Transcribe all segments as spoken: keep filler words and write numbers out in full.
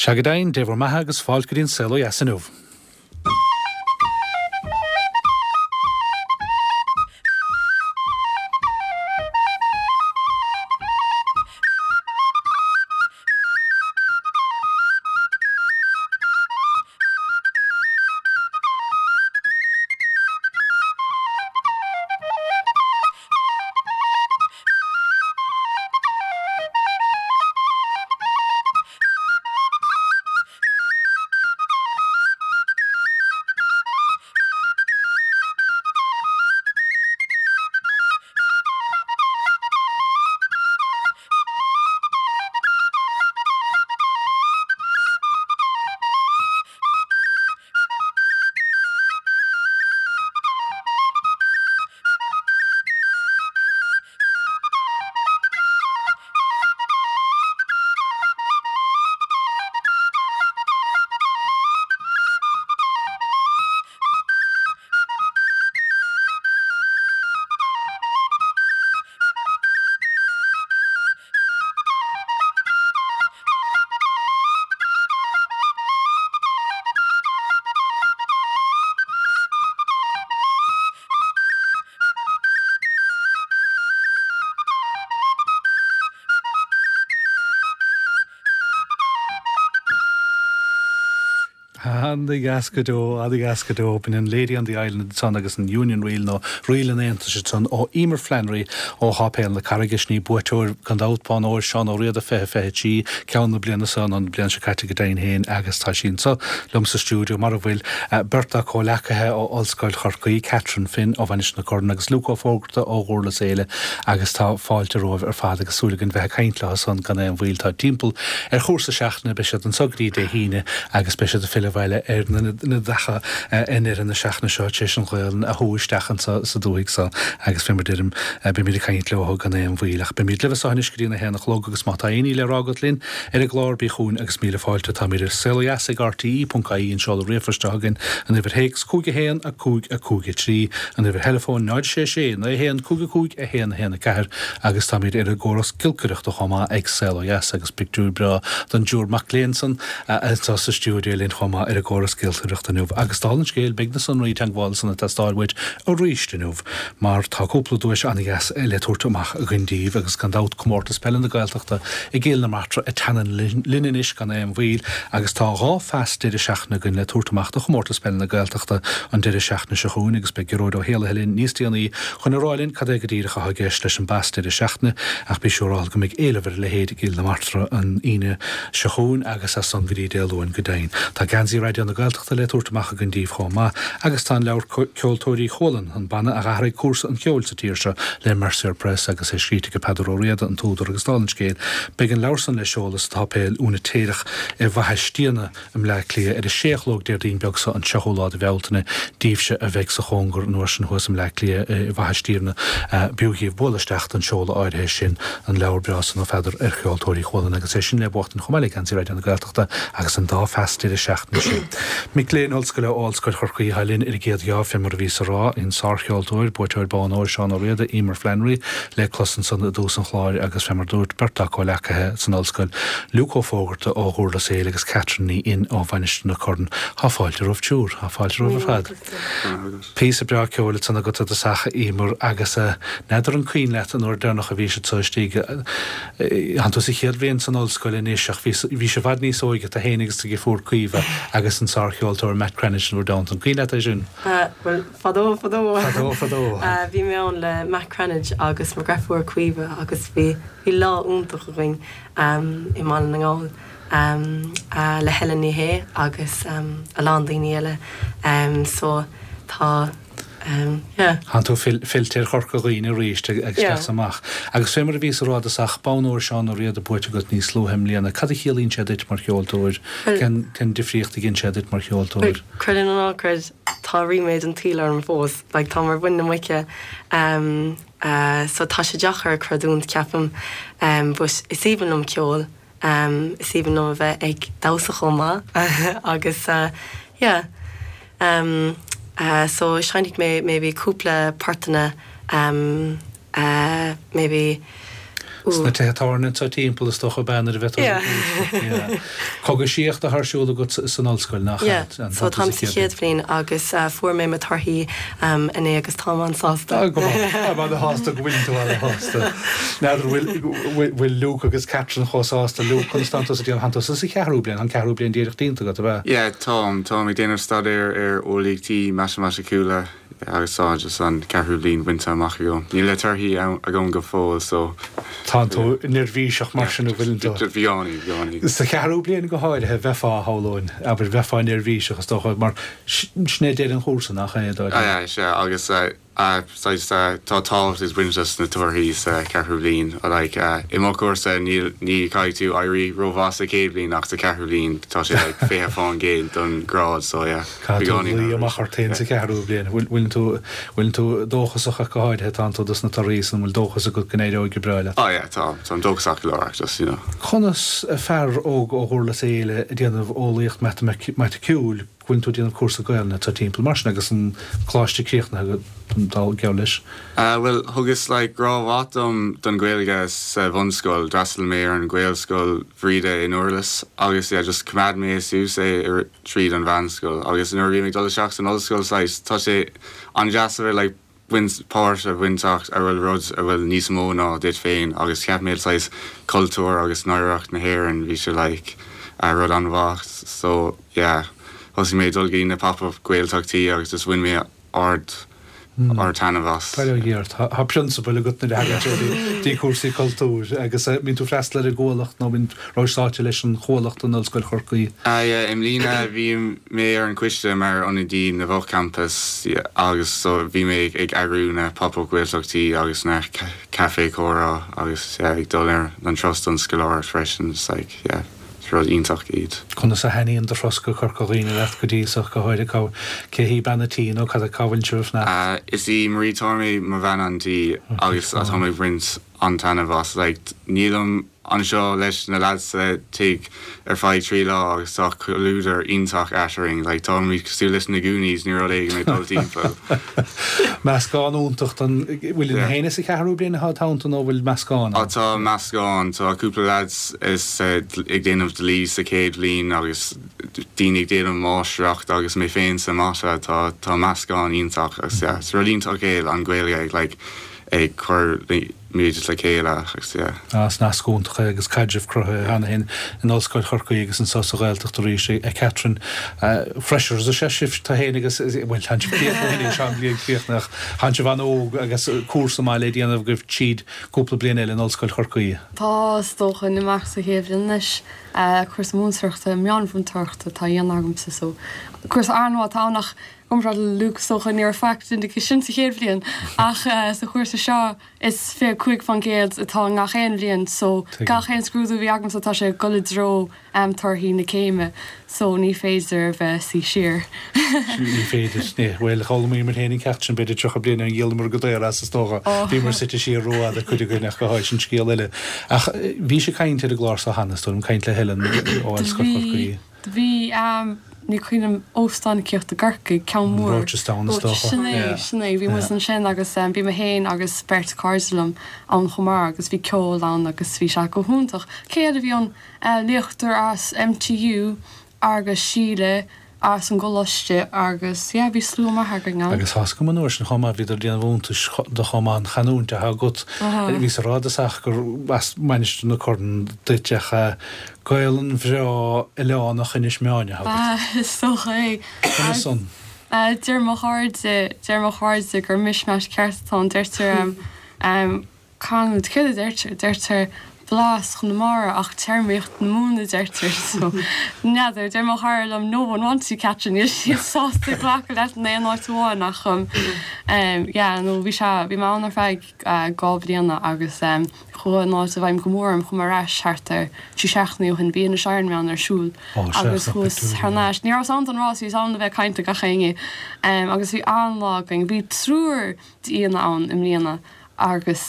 Sea go deimhin, Dé bhur mbeatha agus fáilte go dtí an Saol Ó Dheas inniu. An-dheas go deo, an-dheas go deo. B'in an Lady on the Island ansan agus an Union Reel nó Ríl an Aontais ansan ó Emer Flannery ó Sháipéal na Carraige. Sin í buaiteoir gan dabht Bonn Óir Seán Ó Riada fiche fiche trí, ceann na bliana seo nó an bliain seo caite go deimhin féin agus tá sí anso liom sa stiúideo mar a bhfuil beirt dá comhleacaithe ó Ollscoil Chorcaí, Catherine Finn ó Mhainistir na Corann agus Luke Ó Fógarta ó Dhurlas Éile agus tá fáilte romhaibh ar fad agus súil againn bheith ag caint leo san gan aon mhoill. Tá timpeall ar chúrsa seachtaine, beidh siad anso go dtí Dé hAoine agus beidh siad ag filleadh abhaile ar na dtacha i ndeireadh na seachtaine seo tar éis an Ghaolainn a shú isteach anso sa dúthaigh so agus fé mar deirim beimid ag caint leo gan aon mhoill. Ach beimid libh anso anois go dtí an a haon a chlog agus má tá aon ní le rá agat linn ar an gclár bí chugainn agus míle fáilte. Táimid ar saolodheas ag rte ponc ie an seoladh ríomhphoist atá againn, an uimhir théacs cúig a haon a cúig a cúig a trí, an uimhir theileafóin náid sé sé naoi a haon cúig a cúig a haon a haon a ceathair agus táimid ar an gcóras giolcaireachta chomh maith ag Saol Ó Dheas agus pictiúr breá den dtriúr mac léinn san anseo sa stiúideo linn chomh maith ar an gcóras giolcaireachta inniu. Agus dála an scéil, beidh na sonraí teagmhála san ag teastáil uait arís inniu mar tá cúpla duais an-dheas le tabhairt amach againn daoibh agus gan dabht Comórtas Peile na Gaeltachta i gCill na Martra ag teannán linn anois gan aon mhoill agus tá dhá phas deireadh seachtaine againn le tabhairt amach do Chomórtas Peile na Gaeltachta an deireadh seachtaine seo chugainn agus beidh Gearóid Ó hÉallaithe linn níos déanaí chun a rá linn cad é go díreach atá i gceist leis an bpas deireadh seachtaine ach bí siúráilte go mbeidh éileamh ar a leithéid i gCill na Martra an Aoine seo chugainn agus as san go dtí Dé Luain go deimhin. Tá Geansaí Raidió na Gaeltachta le tabhairt amach againn daoibh chomh maith agus tá an leabhar Ceoltóirí Chualann, an banna a d'athraigh cúrsa an cheoil sa tír seo le Mercier Press agus é scríte ag Peadar Ó Riada, an t-údar agus dála an scéil beidh an leabhar san le seoladh sa tSáipéal Úinitéireach i bhFaiche Stiabhna i mBleá Cliath ar a sé a chlog Déardaoin beag seo an tríochú lá de Bhealtaine daoibhse a bheidh sa chóngar an uair sin thuas i mBleá Cliath i bhFaiche Stiabhna. B'fhiú dhaoibh bualadh isteach don seoladh áirithe sin, an leabhar breá san ó Pheadar ar Cheoltóirí Chualann agus é sin le buachtaint chomh maith le Geansaí Raidió na Gaeltachta agus an dá phas deireadh seachtaine sin. Mic léinn ollscoile ó Ollscoil Chorcaí atá linn ar an gcéad gheábh, fé mar a bhíos a rá, an sárcheoltóir, buaiteoir Bonn Óir Seán Ó Riada, Emer Flannery, le clos ansan i dtús an chláir agus fé mar dúirt beirt dá comhleacaithe san ollscoil, Luke Ó Fógarta ó Dhurlas Éile agus Catherine Ní Fhinn ó Mhainistir na Corann. Tá fáilte romhaibh triúr, tá fáilte romhaibh ar fad. Píosa breá ceoil ansan agat i dtosach, a Emer, agus n'fheadar an cuimhin leat an uair deireanach a bhís anso istigh, Tánn tú sa chéad bhliain san ollscoil anois ach bhís i bhfad níos óige, tú féin agus do dheirfiúr Caoimhe agus an sárcheoltóir Matt Cranitch in bhur dteannta. An cuimhin leat é sin? Bhuel, fadó fadó. Fadó fadó. Bhí mé ann le Matt Cranitch agus mo dheirfiúr Caoimhe agus bhí bhí lá iontach againn i mBaile na nGall le Helen Ní Shé agus a lán daoine eile. So tá. Tánn tú fillte ar Chorca Dhuibhne arís ag isteach is amach. Agus fé mar a bhíos a rá i dtosach, Bonn Óir Seán Ó Riada buaite agat níos luaithe i mbliana. Cad a chiallaíonn sé duit mar cheoltóir? Cén difríocht a dhein sé duit mar cheoltóir? Creid é nó ná creid, tá ríméad an tsaoil orm fós. Like, tá mar mhuin na muice. So tá sé deacair a chreidiúint, ceapaim. But is aoibhinn liom ceol. Is aoibhinn liom a bheith ag damhsa chomh maith agus yeah so seinnfidh mé maybe cúpla portanna maybe Sna tithe tábhairne anseo timpeall is dócha bean ar a bheith Yeah. Cogaisíocht atá ar siúl agat san ollscoil nach Yeah, so táim sa chéad bhliain agus uh, fuair mé mo torthaí um, inné agus táim an-sásta. Go sásta go bhfuil tú an-sásta. N'fheadar bhfuil Luke agus Catherine chomh sásta Luke Constantos a déan hantos sa cheathrú bliain an ceathrú bliain díreach déanta agat a bheith. Yeah, táim táim ag déanamh staidéar ar eolaíochtaí matamaiticiúla agus tá just an ceathrú bliain bainte amach agam. Níl na torthaí agam go fóill so Tá tú neirbhíseach mar sin bhfuil tú. Bheánaí bheánaí. Sa cheathrú bliain go háirithe bheifeá shamhlóinn, abair bheifeá neirbhíseach is dócha mar sin é deireadh an chúrsa nach é dá. Ah, sé agus uh, uh, tá tábhacht ag baint leis na torthaí sa ceathrú bliain like uh, i mo chúrsa ní ní caithfidh tú éirí rómhaith sa chéad bhliain ach sa ceathrú bliain tá sé like, fiche faoin gcéad don grád so yeah. Cú amach tain sa ceathrú bliain bhfuil tú bhfuil tú dóchasach go háirithe tá tú dos na torthaí san bhfuil dóchas agat go n-éireoidh go breá leat. Oh yeah, tá tá dóchasach go leor just you know. Conas fear óg ó Dhurlas Éile ag déanamh eolaíocht matamaiticiúil bhfuil tú déanamh cúrsa Gaelainne tá timpeall mar sin agus an coláiste críochnaithe dul geall leis. Uh, well thugas like grá mhaith dom don Ghaeilge sa bhunscoil d'fhreastail mé ar an Ghaelscoil Bhríde in Durlas agus yeah, just choimeád mé suas é ar tríd an mheánscoil agus nuair bhí mé ag dul isteach san ollscoil saghas tá sé an-deas a bheith like baint páirt a bhainteach a bhfuil rud a bhfuil níos mó ná duit féin agus cheap mé saghas cultúr agus oidhreacht na hÉireann bhí sé like a rud an-mhaith so yeah thosaigh mé dul go dtí na pop-up Gaeltachtaí agus just bhain mé ard ard-taitneamh as. Tá prionsabal agat na dtí cúrsaí cultúir agus mbíonn tú freastal ar an gcuallacht nó bíonn rásáte leis an chuallacht an Ollscoil Chorcaí. I mbliana bhí mé ar an choiste mar ionadaí na bhfochampus agus so bhí mé ag eagrú na pop-up Gaeltachtaí agus na café comhrá agus ag dul ar an turas don scoláireacht freisin like, yeah. rud iontach iad. Conas a thaitníonn do thuras go Corca Dhuibhne leat go dtí seo go háirithe cá cé hí bean an tí nó cad a cá bhfuil sibh ná? Is í Marie Tormey mo bhean an tí agus atá mé roinnt an-taitneamh as like, nílim anseo leis na lads sa tigh ar feadh trí lá agus tá comhluadar iontach eadrainn, like, tá mé cosúil leis na Goonies ní rud éigin mé dul timpeall. Meascán iontach an bhfuil na héine sa cheathrú bliain atá tanta nó bhfuil meascán? Á tá meascán tá cúpla lads is uh, ag déanamh dlí sa chéad bhliain agus daoine ag déanamh máistreacht agus mé féin sa mata tá tá meascán iontach agus yeah, is rud iontach é an Ghaeilge like, ag cur muid le chéile agus yeah. As nasc iontach agus caidreamh cruthaithe cheana féin in Ollscoil Chorcaí agus anseo sa Ghaeltacht arís a Catherine freshers a sé sibh tá féin agus bhfuil tá sean bliain críochnach tá sibh an-óg agus cúrsa maith le déanamh agaibh tríd cúpla bliain eile in Ollscoil Chorcaí. Tá is dócha amach sa chéad bhliain anois cúrsa múinteoireachta meánmhúinteoireachta atá á dhéanamh agamsa so cúrsa an-mhaith atá ann ach gomrá Luke socha ní feic sin sa chéad bhliain ach sa chúrsa seo is fiche cúig faoin gcéad atá gach aon bhliain so gach aon scrúdú bhí agamsa tá sé ag dul i dtreo um, torthaí na céime so ní féidir bheith suí siar. Ní féidir ní bhfuil choí mar héana ceart sin b'fhéidir tríocha bliain an ghéalmar go daor as is dócha Bhí mar suite siar rófhada chuid againn ach go háid sin scéal eile. Ach bhí sé caint ar an gclár seo cheana tú an caint le Helen ó Ollscoil Chorcaí. Bhí um, ní cuimhin óstán cíocht a Garcaigh ceann mór. Rochestown is dócha. Sin é sin é bhí muid ansin agus um, bhí mé féin agus beirt cairde liom ann chomh maith agus bhí ceol ann agus bhí sé go hiontach. Céard a bhí an uh, léachtóir as MTU agus Síle as an gcoláiste agus yeah, bhí slua maith againn ann. Agus has go an sin chomá bhí déanamh iontais do chomá an chanúint a agat bhí sa rádas ach gur as Mainistir na Corann duiteach Gaelainn bhreá oileánach Inis Meáin a agat. Is dócha é. Conas san? Deir mo chairde deir mo chairde gur mishmash ceart atá ann deirtear um, canúint céard a deirtear deirtear blas Chonamara ach téarmaíocht na Mumhan a deirtear so n'fheadar deir mo chara liom no one wants you Catherine níl siad sásta glacadh leat in aon áit amháin ach um, um, yeah, nó bhí sé bhí mé ann ar feadh uh, dhá bliana agus um, chuaigh an áit i bhfeidhm go mór orm chuaigh mé ar ais thart ar trí seachtainí ó shin bhí Inis Ironman ar siúl agus chuas thar n-ais. Ní raibh ann don rás bhí ann le bheith ag caint le gach éinne um, agus bhí an-lá againn bhí triúr d'aíonna ann i mbliana. Agus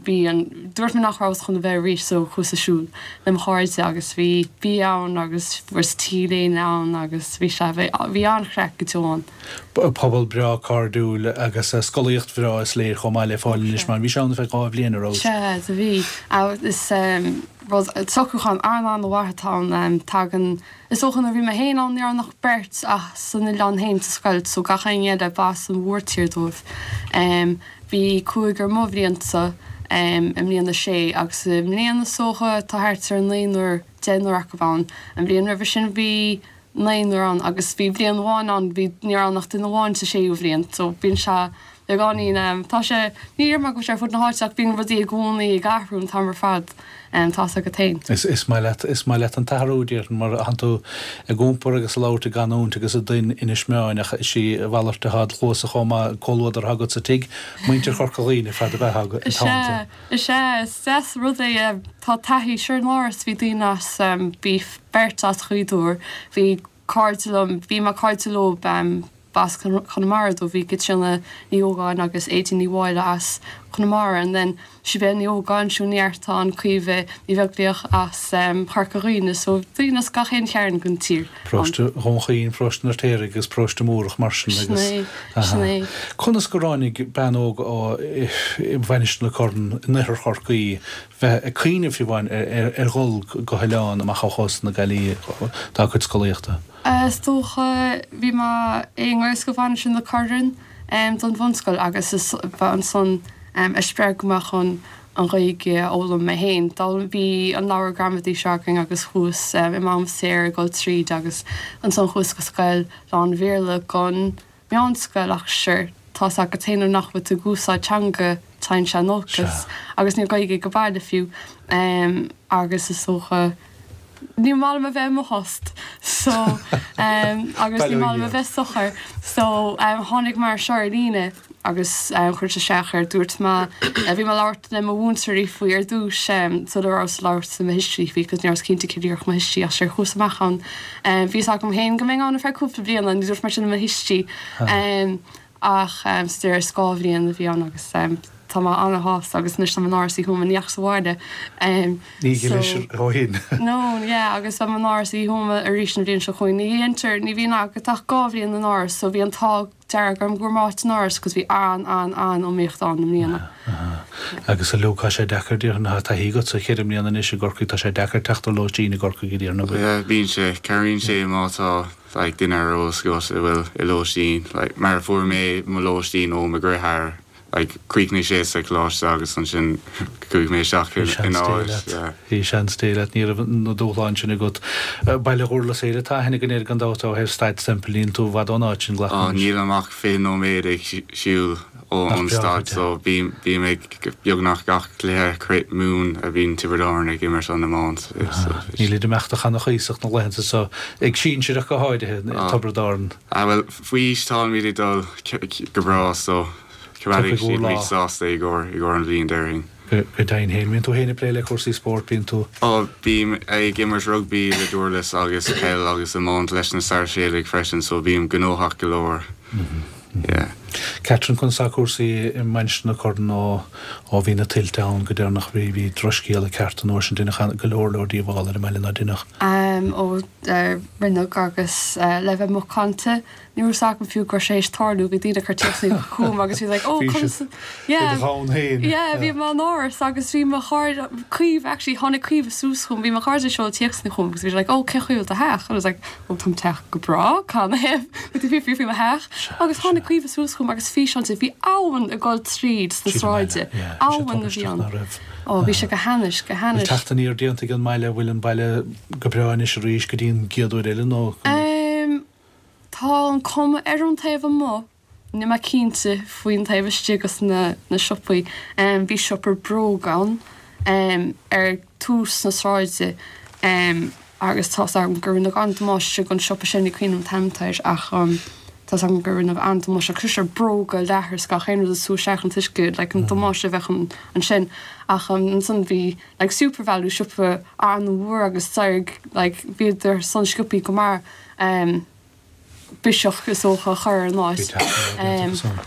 bhí an dúirt mé nach rabhas chun a bheith arís so chuas ag siúl le mo chairde agus bhí bia ann agus fuaireas t-léine ann agus bhí sé bhí an-chraic go deo ann. Pobal breá cairdiúil agus scolaíocht bhreá is léir chomh maith le fáil anois mar bhí sé ann feadh dhá bhliain ar fheabhas. Sea, do bhí. Is socrúchán an-an-mhaith atá ann. Tagann, is dócha nuair a bhí mé féin ann ní raibh ann ach beirt as an oileán féin sa scoil so gach éinne eile b'as an mhórtír dóibh. Bhí cúigear mo bhliansa i mbliain a sé agus i mbliana is dócha tá thart ar naonúr, deichniúr acu ann. An bhliain roimhe sin bhí naonúr ann agus bhí bliain amháin ann bhí ní raibh ann ach duine amháin sa séú bhliain so bíonn sé beagáinín, tá sé, ní déarfaidh mé go bhfuil sé ar fud na háite ach bíonn rudaí i gcónaí ag athrú an t-am ar fad. Tá's agat féin. Is maith leat, is maith leat an t-athrú, déarfainn, mar thánn tú ag iompar agus ag labhairt i gcanúint agus i dtuin Inis Meáin ach is í a mhalairt atá id chluasa chomh maith, comhluadar atá agat sa tigh, muintir Chorca Dhuibhne ar fad ab ea atá Is ea, is ea, is deas an rud é, tá taithí, sure in Áras bhí daoine as, bhí beirt as Ghaoth Dobhair, bhí cairde liom, bhí mé cairde leo, b'as Conamara dóibh, bhí Caitríona Ní Ógáin agus Aedín Ní Mháille as Conamara and then Sibéal Ní Ógáin, Siún Ní Eartáin, Caoimhe Ní Bheaglaoich as Corca Dhuibhne so daoine as gach aon chearn den tír ann. Paróiste Dhún Chaoin, Paróiste an Fheirtéaraigh agus Paróiste Múrach mar sin agus. Sin é, sin é. Conas gur tháinig bean óg ó Mhainistir na Corann in oirthear Chorcaí bheith ag cuimhneamh fiú amháin ar dhul go hoileán amach ó chósta na Gaillimhe dá cuid scolaíochta? Is dócha, bhí mé i nGaelscoil Mhainistir na Corann don bhunscoil agus is ba ansan a spreag mé chun an Ghaeilge a fhoghlaim mé féin. D'fhoghlaim, bhí an leabhar gramadaí seo againn agus chuas i m'am saor ag dul tríd agus ansan chuas go scoil lán-Bhéarla don meánscoil ach sure tá's agat féin nuair nach bhfuil tú ag úsáid teanga téann sé in olcas agus ní raibh Gaeilge ag baile fiú agus is dócha ní maith liom a bheith i mo thost so agus ní maith liom a bheith socair so tháinig mé ar seo ar líne agus chuireas isteach air dúirt mé bhí mé ag labhairt le mo mhúinteoirí faoi ar dtús sula rabhas ag labhairt le mo thuistí faoi cos ní rabhas cinnte céard a déarfadh mo thuistí ach sure chuas amach ann bhí fhios agam féin go mbeinn ann ar feadh cúpla bliana ní dúirt mé sin le mo thuistí ach sa deireadh is dhá bhliain a bhí ann agus tá mé ana-shásta agus anois tá mé in Áras Uí Thuama ní dheachas abhaile Ní ghilis ó shin. No yeah agus beidh mé in Áras Uí Thuama arís an bhliain seo chugainn. Ní dhéantar ní bhíonn agat ach dhá bhliain in Áras so bhí an t-ádh dearg orm go bhfuair mé áit in Áras cos bhí an-an-an-iomaíocht ann i mbliana. Agus a Luke tá sé deacair déarfainn tá taithí agat sa cheithre mbliana anois i gCorcaigh tá sé deacair teacht ar lóistín i gCorcaigh a déarfainn ab ea? Yeah bíonn sé cabhraíonn sé má tá like duine ar eolas agat a bhfuil i lóistín like mar a fuair mé mo lóistín ó mo dheartháir like chríochnaigh sé sa choláiste agus ansin chuaigh mé isteach in áit yeah. Bhí seans Dé leat, ní raibh na dúshláin sin agat. Baile Dhúrlas Éile tá aithne againn air gan dabht ó thaobh Staid Semple, níl tú i bhfad ón áit sin, glacaim leis. Nílim ach fiche nóiméad ag siúl ón staid so bím bím ag beagnach gach cluiche Craobh Mumhan a bhíonn Tiobraid Árann ag imirt an iomáint. Níl ag imeacht do channa-chuíosach na laethanta seo, ag sinsir ach go háirithe, Tiobraid Árann. Ah bhuel faoi aois táimid ag dul go breá so Coimeádfaidh Tiocfaidh siad bhur lá. muid sásta i gcomhair i gcomhair an bhliain déarfainn. Go deimhin féin. Bíonn tú féin ag plé le cúrsaí spóirt, bíonn tú. Ó, bím ag imirt rugbaí le Dúrlas agus peil agus iomáint leis na Sáirséalaigh freisin so bím gnóthach go leor. Yeah. Catherine, Conas tá cúrsaí i Mainistir na Corann ó ó bhí na tuilte ann go deireanach? Bhí bhí drochscéala ceart an uair sin, deineadh go leor leor díobhála ar an mbaile ná deineadh? Ó rinneadh agus le bheith macánta Ní raibh 'fhios agam fiú go raibh sé théis tarlú, bhí daoine ag cur téacsanna chugam agus bhí like oh Bhí conas siad yeah i do dhomhan féin. yeah bhí mé in áras agus bhí mo chairde Caoimhe actually tháinig Caoimhe suas chugam bhí mo chairde ag seoladh téacsanna chugam agus bhí siad like oh cén chaoi a bhfuil do theach and I was like oh tá mo teach go breá cad ina thaobh bhfuil tú ag fiafraí faoi mo theach agus tháinig Caoimhe suas chugam agus físeán di bhí abhainn ag dul tríd sna Tríd an mbaile sráide yeah bhí sé abhainn a bhí tubaisteach ann ná raibh oh bhí sé go hainnis go Bhfuil hainnis. teacht aniar déanta ag an mbaile bhfuil an baile go breá anois arís go dtí an gcéad uair eile nó Um Tá an cuma ar an taobh amuigh, níl mé cinnte faoin taobh istigh agus na na siopaí. Bhí siopa bróg ann ar tús na sráide agus tá's agam gur rinneadh an-damáiste don siopa sin, ní cuimhin liom an t-ainm atá air ach tá's agam gur rinneadh an-damáiste agus sure bróga, leathar is gach aon rud ag sú isteach an t-uisce, like an damáiste a bheadh ansin. Ach ansan bhí like Supervalu, siopa an-mhór agus d'éirigh like bhíodar san sciobthaí go maith. biseach is dócha a chur ar an áit.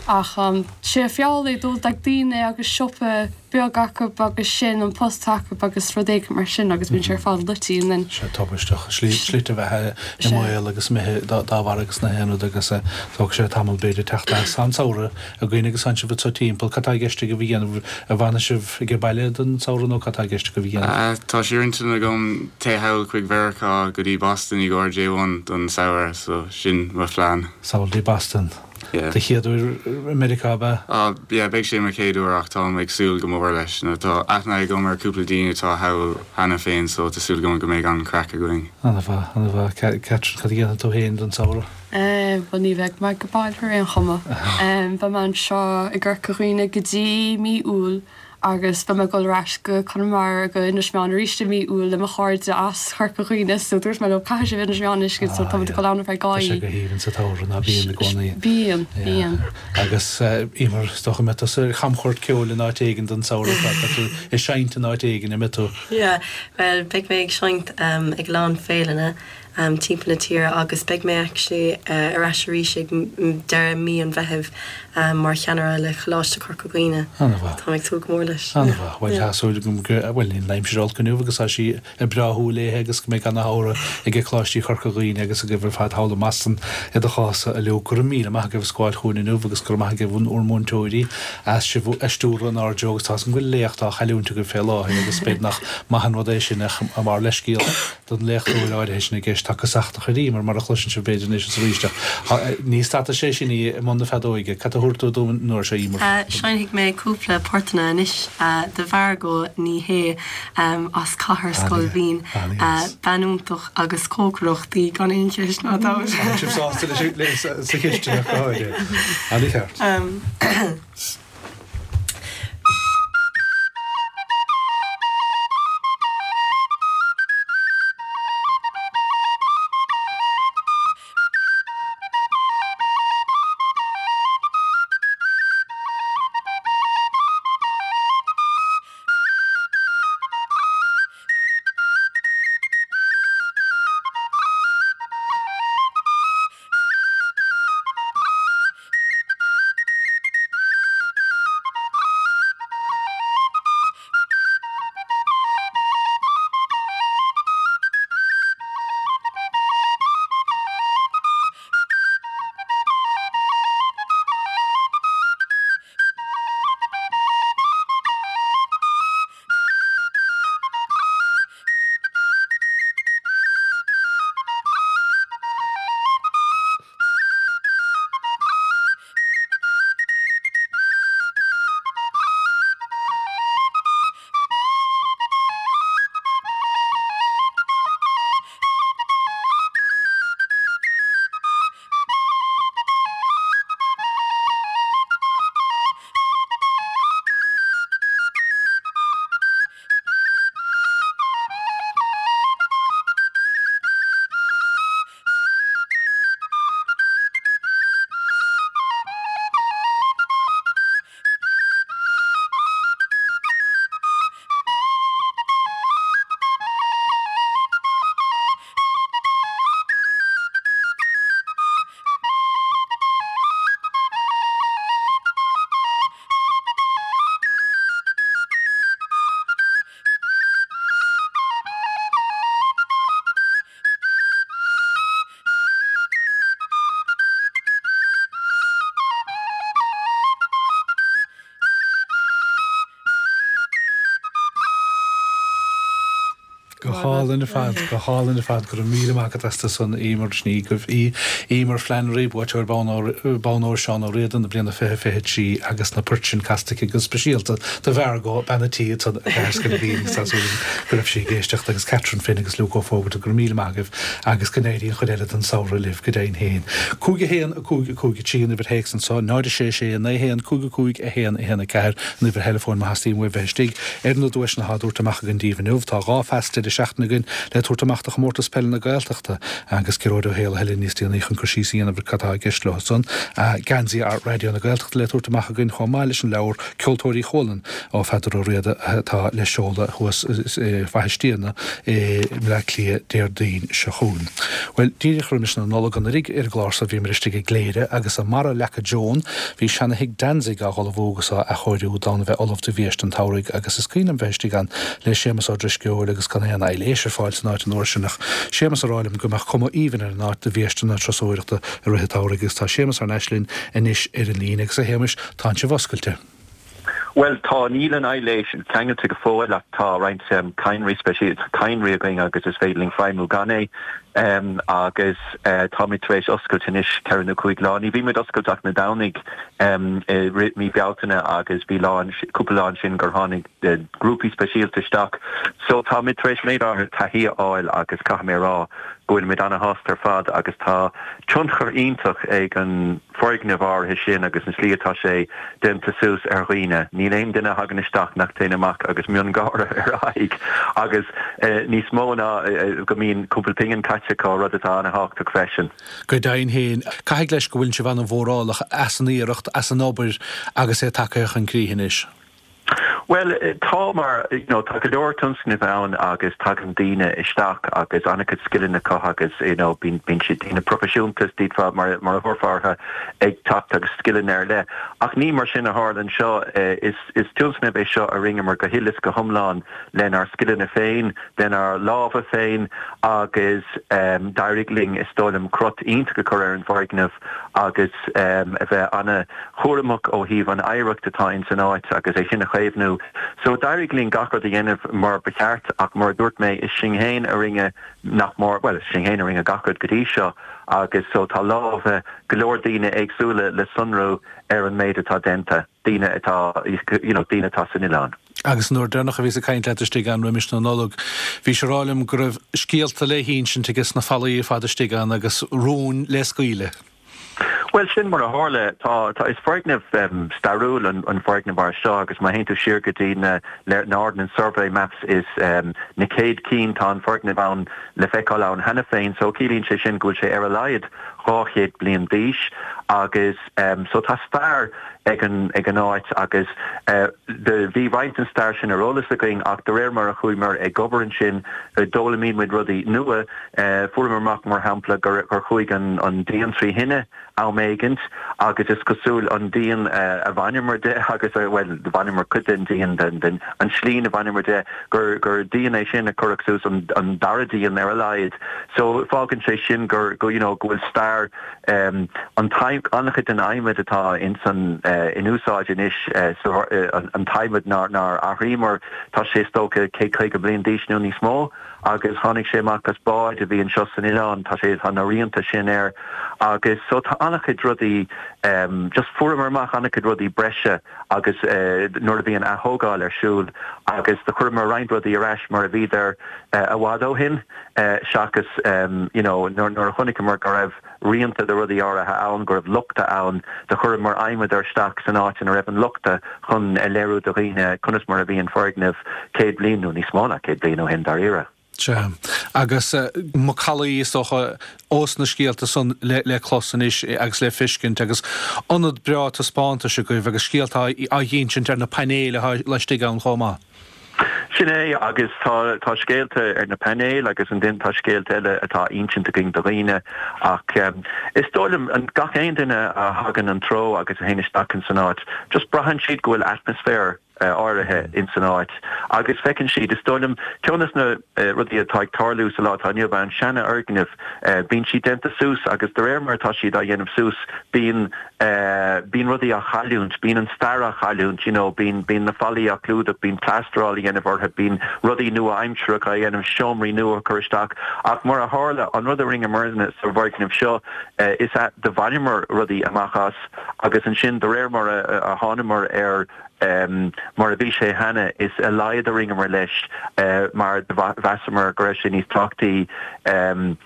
Ach um, sé feall é dul ag daoine agus siopa beag acu agus sin an post acu agus rud éigin mar sin agus bíonn sé ar fad loite and then sé tubaisteach slite bheatha i mbaol agus imithe dá bharr agus na haon rud agus tógfaidh sé tamall b'fhéidir teacht as. An samhradh againn agus ansin sibh timpeall, cad tá i gceist agaibh a dhéanamh, an bhfanfaidh sibh ag baile don samhradh nó cad tá i gceist agaibh a dhéanamh? Tá sé ar intinn agam téigh thall chuig Mheiriceá go dtí Boston i gcomhair J one don samhradh so sin mo phlean. Sall dtí Boston. Do chéad uair i Meiriceá ab ea? Ah yeah, beidh sé mo chéad uair ach táim ag súil go mór leis. Nó tá aithne agam ar cúpla daoine atá thall cheana féin so tá súil agam go mbeidh an-craic againn. An-mhaith, an-mhaith. Catherine, cad a dhéanfaidh tú féin don samhradh? Eh, bhuel ní bheidh mé ag baile ar aon chuma. Beidh mé anseo i gCorca Dhuibhne go dtí mí Iúil agus beidh mé ag dul ar ais go Conamara go Inis Meáin arís i mí Iúil le mo chairde as Corca Dhuibhne so dúirt mé leo caithfidh sibh Inis Meáin a fheiscint so táimid ag dul ann ar feadh dhá Tá sé oíche. go haoibhinn sa tsamhradh ná bíonn i gcónaí. Bíonn, bíonn. Agus Emer, is dócha go mbeidh tusa ar chamchuairt ceoil in áit éigin don samhradh, tá tú ag seinnt in áit éigin, an mbeidh tú? Yeah, bhuel beidh mé ag seinnt ag a lán féileanna timpeall na tíre agus beidh mé actually ar ais arís ag deireadh mí an Mheithimh mar cheannaire le Coláiste Chorca Dhuibhne. An-mhaith. Táim ag súil go mór leis. An-mhaith. Bhuel, tá súil agam go, bhuel, níl an aimsir olc inniu agus tá sí ag bráthú léi agus go mbeidh ana-shamhradh ag Coláistí Chorca Dhuibhne agus agaibh ar fad thall i mBoston i do chás a Luke. Go raibh míle maith agaibh as gabháil chugainn inniu agus go raibh maith agaibh bhur múinteoirí as sibh a stiúradh in airde agus tá a fhios agam go bhfuil léacht á chailliúint agaibh fé láthair agus b'fhéidir nach maith an rud é sin ach mar leithscéal don léachtóir áirithe sin i gceist. Tá casachtach ar Emer, mar a chloiseann sibh b'fhéidir anois is arís ach ní stadfaidh sé sin í i mbun na feadóige. Cad a thabharfaidh tú dúinn an uair seo, Emer? Seinnfidh mé cúpla portanna anois do Mhargot Ní Shé as Cathair Scoil Mhín. Bean iontach agus cócaireacht í gan aon cheist ná dabht. Tá sibh sásta leis sa chisteanach go háirithe. An-cheart. Go hálainn ar fad, go hálainn ar fad, go raibh míle maith agat astu san Emer Ní Ghabh í Emer Flannery, buaiteoir Bonn Óir Seán Ó Riada na bliana fiche fiche trí agus na poirt sin casta aici go speisialta do Mhargot bean a' tí ansan i gCathair Scoil Mhín agus tá súil agam go raibh sí ag éisteacht agus Catherine Finn agus Luke Ó Fógarta go raibh míle maith agaibh agus go n-éirí an chuid eile den samhradh libh go deimhin féin. Cúig a haon, a cúig, a cúig a trí an uimhir théacs anso, náid a sé sé, a naoi a haon, cúig a cúig, a haon, a haon a ceathair an uimhir theileafóin má theastaíonn uaibh bheith istigh ar na duaiseanna atá á dtabhairt amach againn daoibh inniu. Tá dhá phas deireadh seachtaine seachtaine againn le tabhairt amach do Chomórtas Peile na Gaeltachta agus Gearóid Ó hÉalaithe níos déanaí chun cur síos a dhéanamh ar cad atá i gceist leo san. Geansaí Raidió na Gaeltachta le tabhairt amach againn chomh maith leis an leabhar Ceoltóirí Chualann ó Pheadar Ó Riada atá le seoladh thuas i bhFaiche Stiabhna i mBleá Cliath Déardaoin seo chugainn. Bhuel, díreach roimis na Nollag anuraidh ar an gclár so bhíomar istigh i gCléire agus i mBarra Leaca Joan bhí seana-thigh Danzig á ullmhú agus á athchóiriú d'fhonn a bheith ullamh do bhiaiste an tsamhraidh agus is cuimhin liom bheith istigh ann le Séamus Ó Drisceoil agus gan aon aibhléis ar fáil san áit an uair sin ach Séamus a rá liom go mbeadh cuma aoibhinn ar an áit do bhiaiste na turasóireachta i rith an tsamhraidh agus tá Séamus thar n-ais linn anois ar an líne agus a Shéamais tá sibh oscailte. Well tá níl an aibhléis ceangailte go fóill ach tá roinnt um, cadhnraí speisialta cadhnraí againn agus is féidir linn feidhmiú gan é um, agus uh, táimid tar éis oscailt anois ceithre nó cúig lá. Ní bhímid oscailte ach na Domhnaigh um, rith mí Bealtaine agus bhí lá cúpla lá sin gur tháinig uh, grúpaí speisialta isteach. So táimid tar éis méid áirithe taithí a fháil agus caithfidh mé rá go bhfuil muid an-shásta ar fad agus tá tionchar iontach ag an foirgneamh áirithe sin agus an slí atá sé déanta suas ar dhaoine. Níl aon duine a thagann isteach nach dtéann amach agus miongháire ar a aghaidh agus eh, níos mó ná eh, go mbíonn cúpla pingin caite acu rud atá an-tábhachtach freisin. Go deimhin féin caithfidh leis go bhfuil sibh an-mhórálach as an iarracht as an obair agus é tagtha chun críche anois. Well tá mar you know, tá go leor tionscnamh ann agus tagann daoine isteach agus an-chuid scileanna acu agus you know, bíonn bíonn siad daoine proifisiúnta dífa mar mar a thabharfá ag teacht agus scileanna ar leith. Ach ní mar sin a tharla anseo eh, is is tionscnamh é seo a rinneamar go huile is go hiomlán lenár scileanna féin, lenár lámha féin agus um, d'éirigh linn is dóigh liom crot iontach a chur ar an bhfoirgneamh agus um, a bheith an-chúramach ó thaobh an oidhreacht atá in san áit agus é sin a chaomhnú. So d'éirigh linn gach rud a dhéanamh mar ba cheart ach mar dúirt mé is sinn féin a rinne nach mór well sinn féin a rinne gach rud go dtí seo agus so tá lámha go leor daoine éagsúla le sonrú ar an méid atá déanta daoine atá you know, daoine atá san oileán. Agus nuair deireanach a bhíos ag caint leat istigh ann roimis na Nollag, bhí sé rá liom go raibh scéalta le hinsint agus na fallaí fada istigh ann agus rúin le scaoileadh. Well sin mar a tharla tá tá is foirgneamh um, stairiúil an, an foirgneamh mar seo agus má théann tú siar go dtí na na Ordnance Survey Maps is um, na céad cinn tá an foirgneamh ann le feiceáil ann cheana féin, so ciallaíonn sé sin go bhfuil sé ar a laghad dhá chéad bliain d'aois agus um, so tá stair ag an ag an áit agus uh, de bhí roinnt an stair sin ar eolas againn ach de réir mar a chuamar ag obair ansin uh, d'fhoghlaim muid rudaí nua uh, fuaireamar amach mar shampla gur gur chuaigh an an díon trí thine am éigin agus is cosúil an díon uh, a bhaineamar de agus uh, well bhaineamar cuid den díon den den an slín a bhaineamar de gur gur díon é sin a cuireadh suas an, an dara díon ar a laghad. So fágann sé sin gur go you know, go bhfuil stair um, an an-chuid den adhmad atá in san uh, in úsáid anois uh, so, uh, an, an t-adhmad nár nár athraíomar tá sé is dócha céad caoga bliain d'aois nó níos mó agus tháinig sé amach as bád a bhí anseo san oileán tá sé tá na rianta sin air agus so tá an-chuid rudaí um, just fuaireamar amach an-chuid rudaí breise agus uh, nuair a bhí an atógáil ar siúl agus do chuireamar roinnt rudaí ar ais mar a bhíodar uh, i bhfad ó shin uh, seachas um, you know, nuair nuair a chonaiceamar go raibh rianta de rudaí áirithe ann go raibh lochtanna ann do chuireamar adhmad isteach san áit ina raibh an lochta chun a léiriú do dhaoine conas mar a bhí an foirgneamh céad bliain nó níos mó ná céad bliain ó shin dáiríre. Sea. Agus uh, macallaí is dócha ós na scéalta san le, le clos anois agus le feiscint agus ionad breá taispeántais agaibh agus scéalta á n-insint ar na painéil laistigh ann chomh maith. Sin é agus tá tá scéalta ar na painéil agus ansin tá scéalta eile atá insinte againn do dhaoine ach um, is dóigh liom an gach aon duine a thagann an treo agus a théann isteach san áit, just braitheann siad go bhfuil atmaisféar uh, áirithe in san áit. Agus feiceann siad is dóigh liom ceann de na uh, rudaí atá ag tarlú sa lá atá inniu ann seanfhoirgnimh uh, bíonn siad déanta suas agus de réir mar atá siad á dhéanamh suas bíonn uh, bíonn rudaí á chailliúint, bíonn an stair á chailliúint, you know, bíonn bíonn na fallaí á clúdach, bíonn plástaráil á dhéanamh orthu, bíonn rudaí nua-aimseartha á dhéanamh seomraí nua chur isteach ach mar a tharla an rud a rinneamar sa bhfoirgneamh seo uh, is ea do bhaineamar rudaí amach as agus ansin de réir mar a, a thángamar ar um, mar a bhí sé cheana is a laghad a rinneamar leis uh, mar mheasamar go raibh sé níos tábhachtaí um,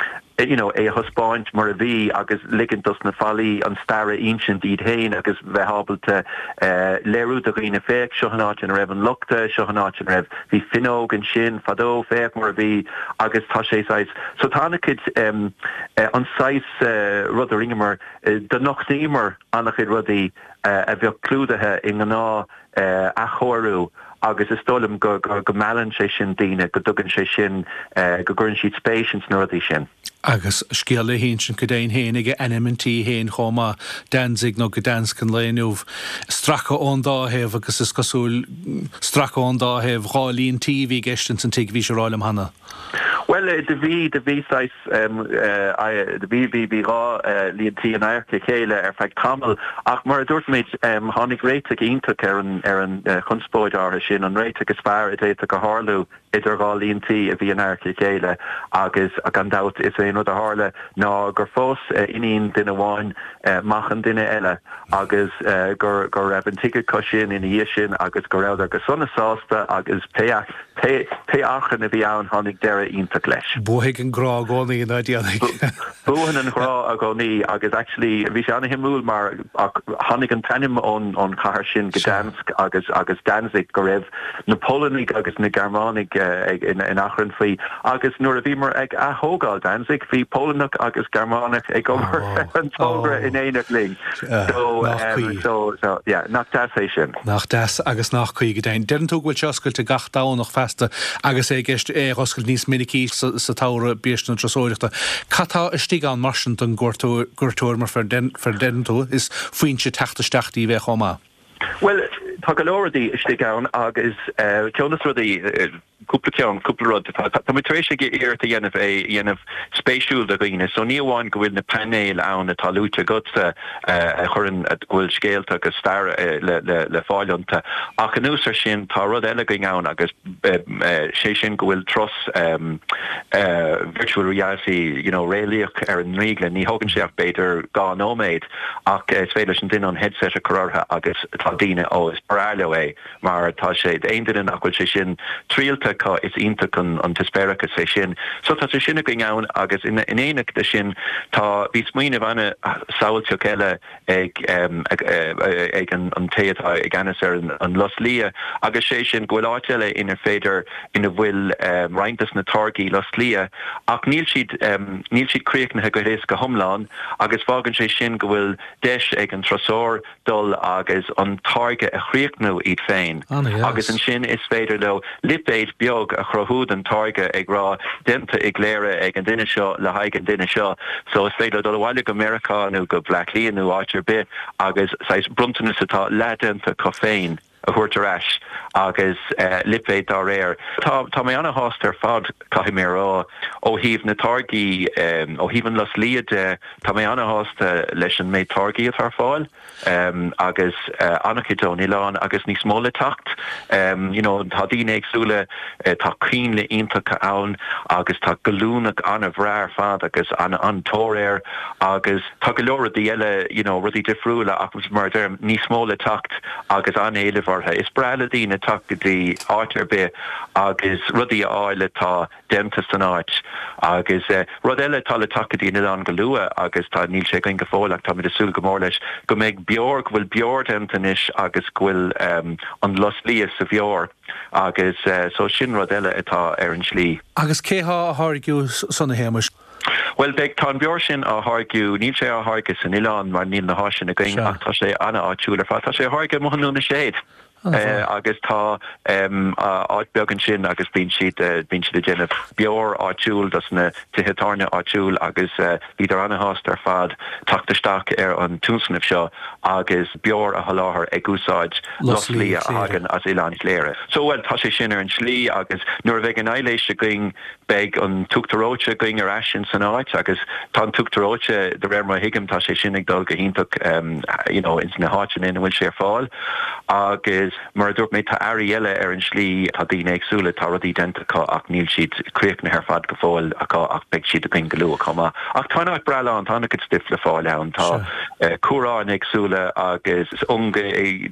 you know, é a thaispeáint mar a bhí agus ligint dos na fallaí an stair a insint iad féin agus bheith ábalta uh, léiriú do dhaoine féach seo an áit ina raibh an lochta seo an áit ina raibh bhí fuinneog ansin fadó féach mar a bhí agus tá sé saghas so tá an-chuid um, uh, an saghas uh, rud a rinneamar uh, do nochtaíomar an-chuid rudaí uh, a bheadh clúdaithe i ngnáth uh, athchóiriú agus is dóigh liom go, go, go meallann sé sin daoine go dtugann sé sin uh, go gcuireann siad spéis sna rudaí sin. Agus scéal le hinsint go deimhin féin ag ainm an tí féin chomh maith Danzig nó Gdansk an lae inniu stracadh ón dá thaobh agus is cosúil stracadh ón dá thaobh dhá líon tí a bhí i gceist san tigh bhí sé rá liom cheana. Well do bhí do bhí do bhí bhí bhí dhá líon tí in adharca a chéile ar feadh tamaill ach mar a dúirt mé tháinig réiteach iontach ar an ar an chonspóid áirithe sin an réiteach is fearr a d'fhéadfadh a tharlú idir dhá líon tí a bhí in adharca a chéile agus gan dabht is é an rud a tharla ná gur phós iníon duine amháin mac an duine eile agus gur gur raibh an tigh acu sin ina dhiaidh sin agus go rabhadar go sona sásta agus pé pé pé achrann a bhí ann tháinig deireadh iontach leis. Buafaidh an grá i gcónaí ná déanfaidh. Buann an grá i gcónaí agus actually bhí sé an-shuimiúil mar tháinig an t-ainm ón ón chathair sin Gdansk agus agus Danzig go raibh na Polannaigh agus na Gearmánaigh ag in, in achrann faoi agus nuair a bhíomar ag atógáil Danzig bhí Polannach agus Gearmánach ag obair oh, an togra oh. in éineacht linn. So, um, so, so yeah, nach deas é sin. Nach deas agus nach cuí go deimhin. Deireann tú go bhfuil sé oscailte gach Domhnach feasta agus é i gceist é a oscailt níos minicí sa, sa tsamhradh biis na turasóireachta. Cad tá istigh ann mar sin don gcuairteoir mar fer deireann tú is foinse teacht isteach í bheith chomh maith. Well tá go leor rudaí istigh ann agus uh, ceann de na rudaí uh, cúpla ceann cúpla rud tá muid tar éis iarracht a dhéanamh é dhéanamh spéisiúil do dhaoine so ní amháin go bhfuil na painéil ann atá luaite agatsa uh, a chuireann go bhfuil scéalta agus stair uh, le, le, le fáil iontu ach anuas air sin tá rud eile againn ann agus uh, uh, sé sin go bhfuil turas um, uh, virtual reality you know, réalaíoch ar an ndrioglann ní thógann sé ach b'fhéidir dhá nóiméad ach uh, is féidir leis an duine an headset a chur orthu agus tá daoine ó is breá leo é mar tá sé aon duine nach bhfuil sé sin triailte acu is iontach an, an t-eispéireas é sin. So tá sé sin againn ann agus in, in éineacht leis sin tá bhí smaoineamh an-samhailteach eile ag, um, ag, ag an, an té atá i gceannas ar an, an Lus Liath agus sé sin go bhfuil áit eile inar féidir ina bhfuil um, roinnt des na táirgí lus liath ach níl siad um, níl siad críochnaithe go héas go hiomlán agus fágann sé sin go bhfuil deis ag an turasóir dul agus an táirge a chríochnú iad féin agus ansin is féidir leo lipéad beag a chruthú den táirge ag rá déanta i gCléire ag an duine seo le haghaidh an duine seo so is féidir dul abhaile go Meiriceá nó go Bleá Cliath nó áit ar bith agus saghas bronntanas atá leathdhéanta acu féin a thabhairt ar ais agus uh, lipéad dá réir. Tá tá mé an-shásta ar fad caithfidh mé rá ó thaobh na táirgí um, ó thaobh an lus liath de tá mé an-shásta leis an méid táirgí atá ar fáil um, agus uh, an-chuid ón oileán agus níos mó le teacht. Um, you know, tá daoine éagsúla uh, tá coinnle iontacha ann agus tá gallúnach an-bhreá ar fad agus an an-tóir air agus tá go leor rudaí eile you know, rudaí difriúla agus mar deirim níos mó le teacht agus an-éileamh orthu. Is breá le daoine teacht go dtí áit ar bith agus rudaí a fháil atá déanta san áit agus uh, rud eile tá le teacht go dtí an oileán go luath agus tá níl sé againn go fóill ach táimid ag súil go mór leis go mbeidh beoir go bhfuil beoir déanta anois agus go bhfuil um, an lus liath sa bheoir agus uh, so sin rud eile atá ar an slí. Agus cé há a tháirgiú san a Shéamais? Well beidh tá an beoir sin á tháirgeadh níl sé á tháirgeadh san oileán mar níl na háiseanna againn ach tá sé an-áitiúil ar fad tá sé á tháirgeadh amuigh i nDún na Séad. Uh, agus tá um, áit beag ansin agus bíonn siad uh, bíonn siad ag déanamh beoir áitiúil dos na tithe tábhairne áitiúil agus uh, bhíodar an-shásta ar fad teacht isteach ar an tionscnamh seo agus beoir a sholáthar ag úsáid lus liath a thagann as Oileán Chléire. So well tá sé sin ar an slí agus nuair a bheidh an aibhléis againn beidh an t-uachtar reoite againn ar ais san áit agus tá an t-uachtar reoite de réir mar a thuigim tá sé sin ag dul go hiontach um, you know, ins na háiteanna ina bhfuil sé ar fáil agus Agus mar a dúirt mé tá earraí eile ar an slí tá daoine éagsúla tá rudaí déanta acu ach níl siad críochnaithe ar fad go fóill acu ach beidh siad againn go luath chomh maith. Ach tá an áit breá lán tá an-chuid stuif le fáil ann tá uh, cumhráin éagsúla agus unga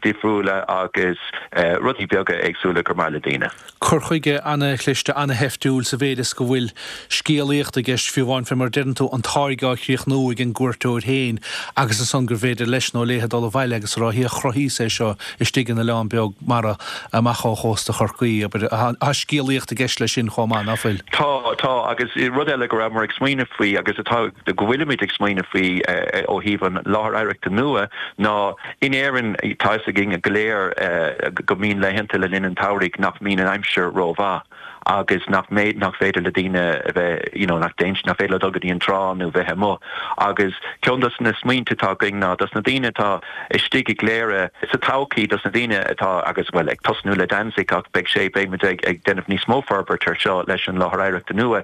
difriúla agus uh, rudaí beaga éagsúla gur maith le daoine. Cur chuige an-chliste an-sheiftiúil sa mhéid is go bhfuil scéalaíocht i gceist fiú amháin fé mar deireann tú an táirge á chríochnú ag an gcuairteoir féin agus ansan gur bhféidir leis nó léithe dul abhaile agus rá hia chruthaíos é seo istigh in oileán beag mara amach ó chósta Chorcaí tá scéalaíocht i gceist leis sin chomh maith nach bhfuil. Tá tá agus rud eile go rabhamar ag smaoineamh faoi agus atá go bhfuilimid ag smaoineamh faoi ó thaobh an láthair oidhreachta nua ná in Éirinn tá a fhios againn go léir go mbíonn laethanta le linn an tsamhraidh nach mbíonn an aimsir rómhaith agus nach méid nach féidir le daoine a bheith you know, nach déint nach féidir le dul go dtí an trá nó bheith amuigh agus ceann dos na smaointe atá againn ná dos na daoine atá istigh i gCléire sa todhchaí dos na daoine atá agus well ag tosnú le Danzig ach beidh sé beimid ag ag déanamh níos mó forbairt ar seo leis an láthair oidhreachta nua.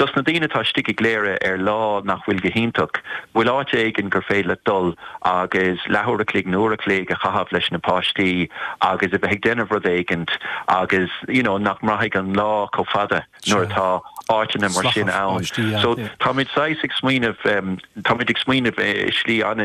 Dos na daoine atá istigh i gCléire ar lá nach bhfuil go hiontach, bhfuil áit éigin gur féidir le dul agus leathuair a chloig nó uair a chloig a chaitheamh leis na páistí agus a bheith ag déanamh rud éigin agus you know, nach mbraithfidh an lá chomh fada nuair atá áiteanna mar sin ann. So táimid saghas ag smaoineamh um, táimid ag smaoineamh i slí an